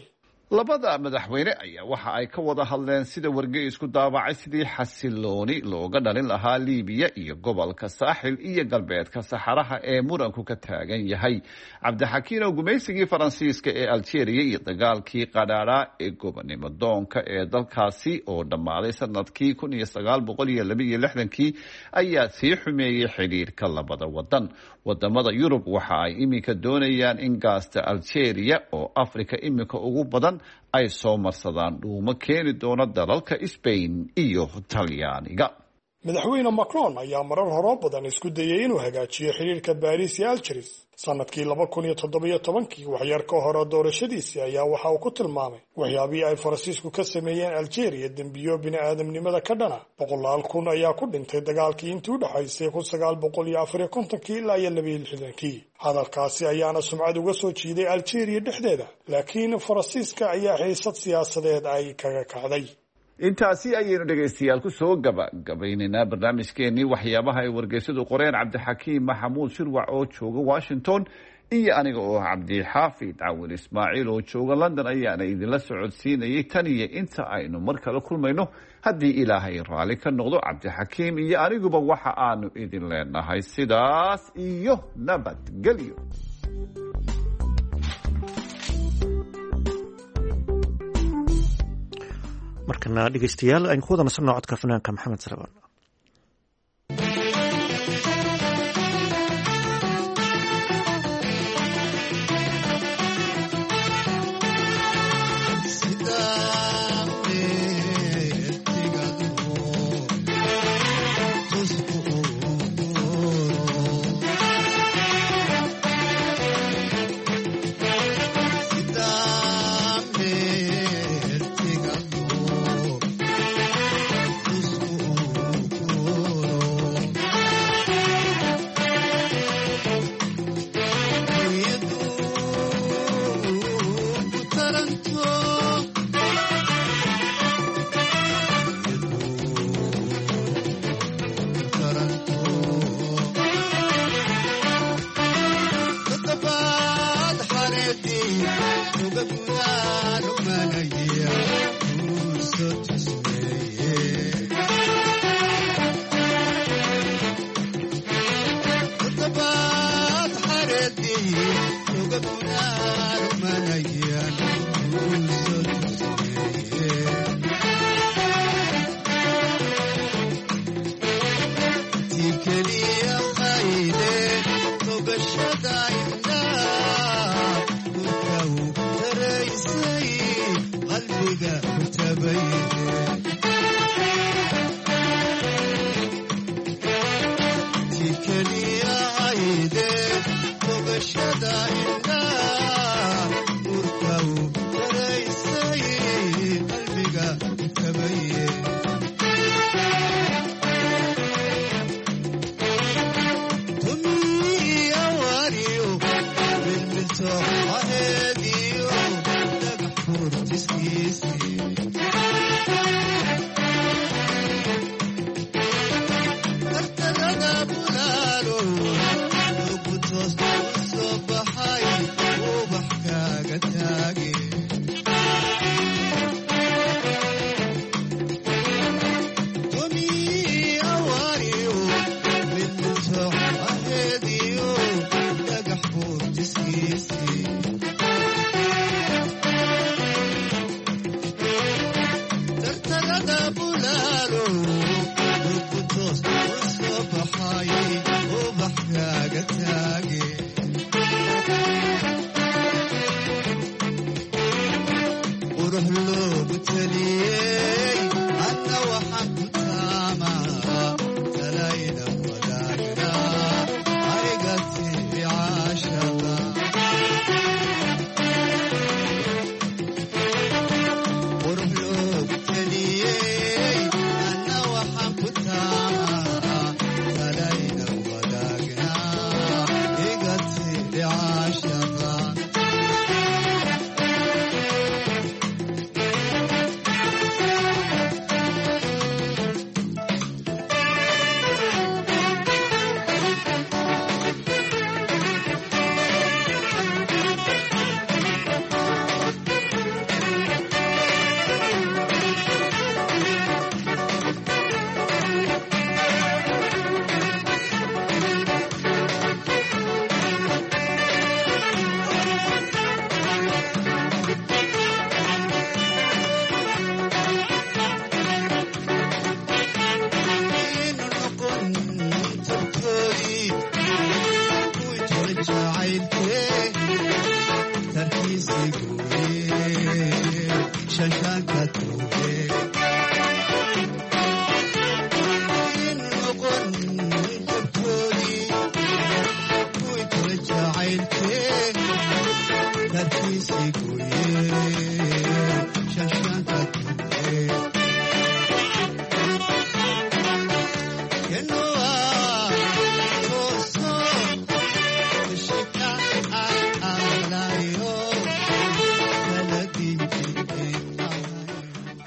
Labada madaxweyne ayaa waxa ay ka wada hadleen, sida wargeysku daabacay, sidii xasilooni looga dhalin lahaa Liibiya iyo gobolka Saaxil iyo galbeedka Saxaraha ee muranku ka taagan yahay. Cabdixakiin, oo gumaysigii Faransiiska ee Algeria iyo dagaalkii qadhaadhaa ee gobonimo doonka ee dalkaasi oo dhammaaday sanadkii 1962 ayaa sii xumeeyey xidhiirka labada wadan. Wadamada Yurub waxa ay iminka doonayaan in gaasta Algeria oo Afrika iminka ugu badan ay soo marsadaan dhuumo keeni doona dalalka Spain iyo Talyaaniga. Madaxweyne Macron ayaa marar horoo badan isku dayay inuu hagaajiyo xidhiirka Baariis iyo Algeris. Sanadkii 2017-kii, waxyar ka hore doorashadiisii, ayaa waxa uu ku tilmaamay waxyaabihii ay Faransiisku ka sameeyeen Algeria dembiyo bini-aadamnimada ka dhana. Boqolaal kun ayaa ku dhintay dagaalkii intii u dhexaysay 1954-kii ilaa iyo 62-kii. Hadalkaasi ayaana sumcad uga soo jiiday Algeria dhexdeeda, laakiin Faransiiska ayaa xiisad siyaasadeed ay kaga kacday. Intaasi ayaynu dhegaystayaal ku soo gabagabaynaynaa barnaamijkeenii waxyaabaha ay wargeysadu qoreen. Cabdixakiim Maxamuud Shirwac oo jooga Washington Iyo aniga oo Cabdixaafid Cawil Ismaaciil oo jooga London ayaana idinla socodsiinayay tan iyo inta aynu mar kale kulmayno, haddii Ilaahay raalli ka noqdo, Cabdixakiim iyo aniguba waxa aanu idin leenahay sidaas iyo nabadgelyo. Markana dhegeystayaal, aynu ku wada nasanno codka fanaanka Maxamed Salebaan.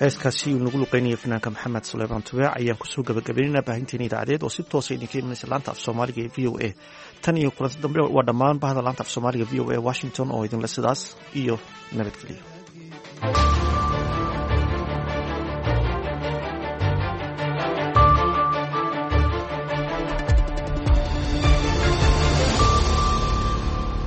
Heeskaasi uu nagu luqeynaya fanaanka Maxamed Suleymaan Tubeec ayaan kusoo gabagabaynayna baahinteena idaacadeed oo si toosa idinka imanaysa laanta af soomaaliga ee VOA. Tan iyo kulanti dambe, waa dhammaan bahda laanta af soomaaliga VOA Washington oo idinle sidaas iyo nabadgeliyo.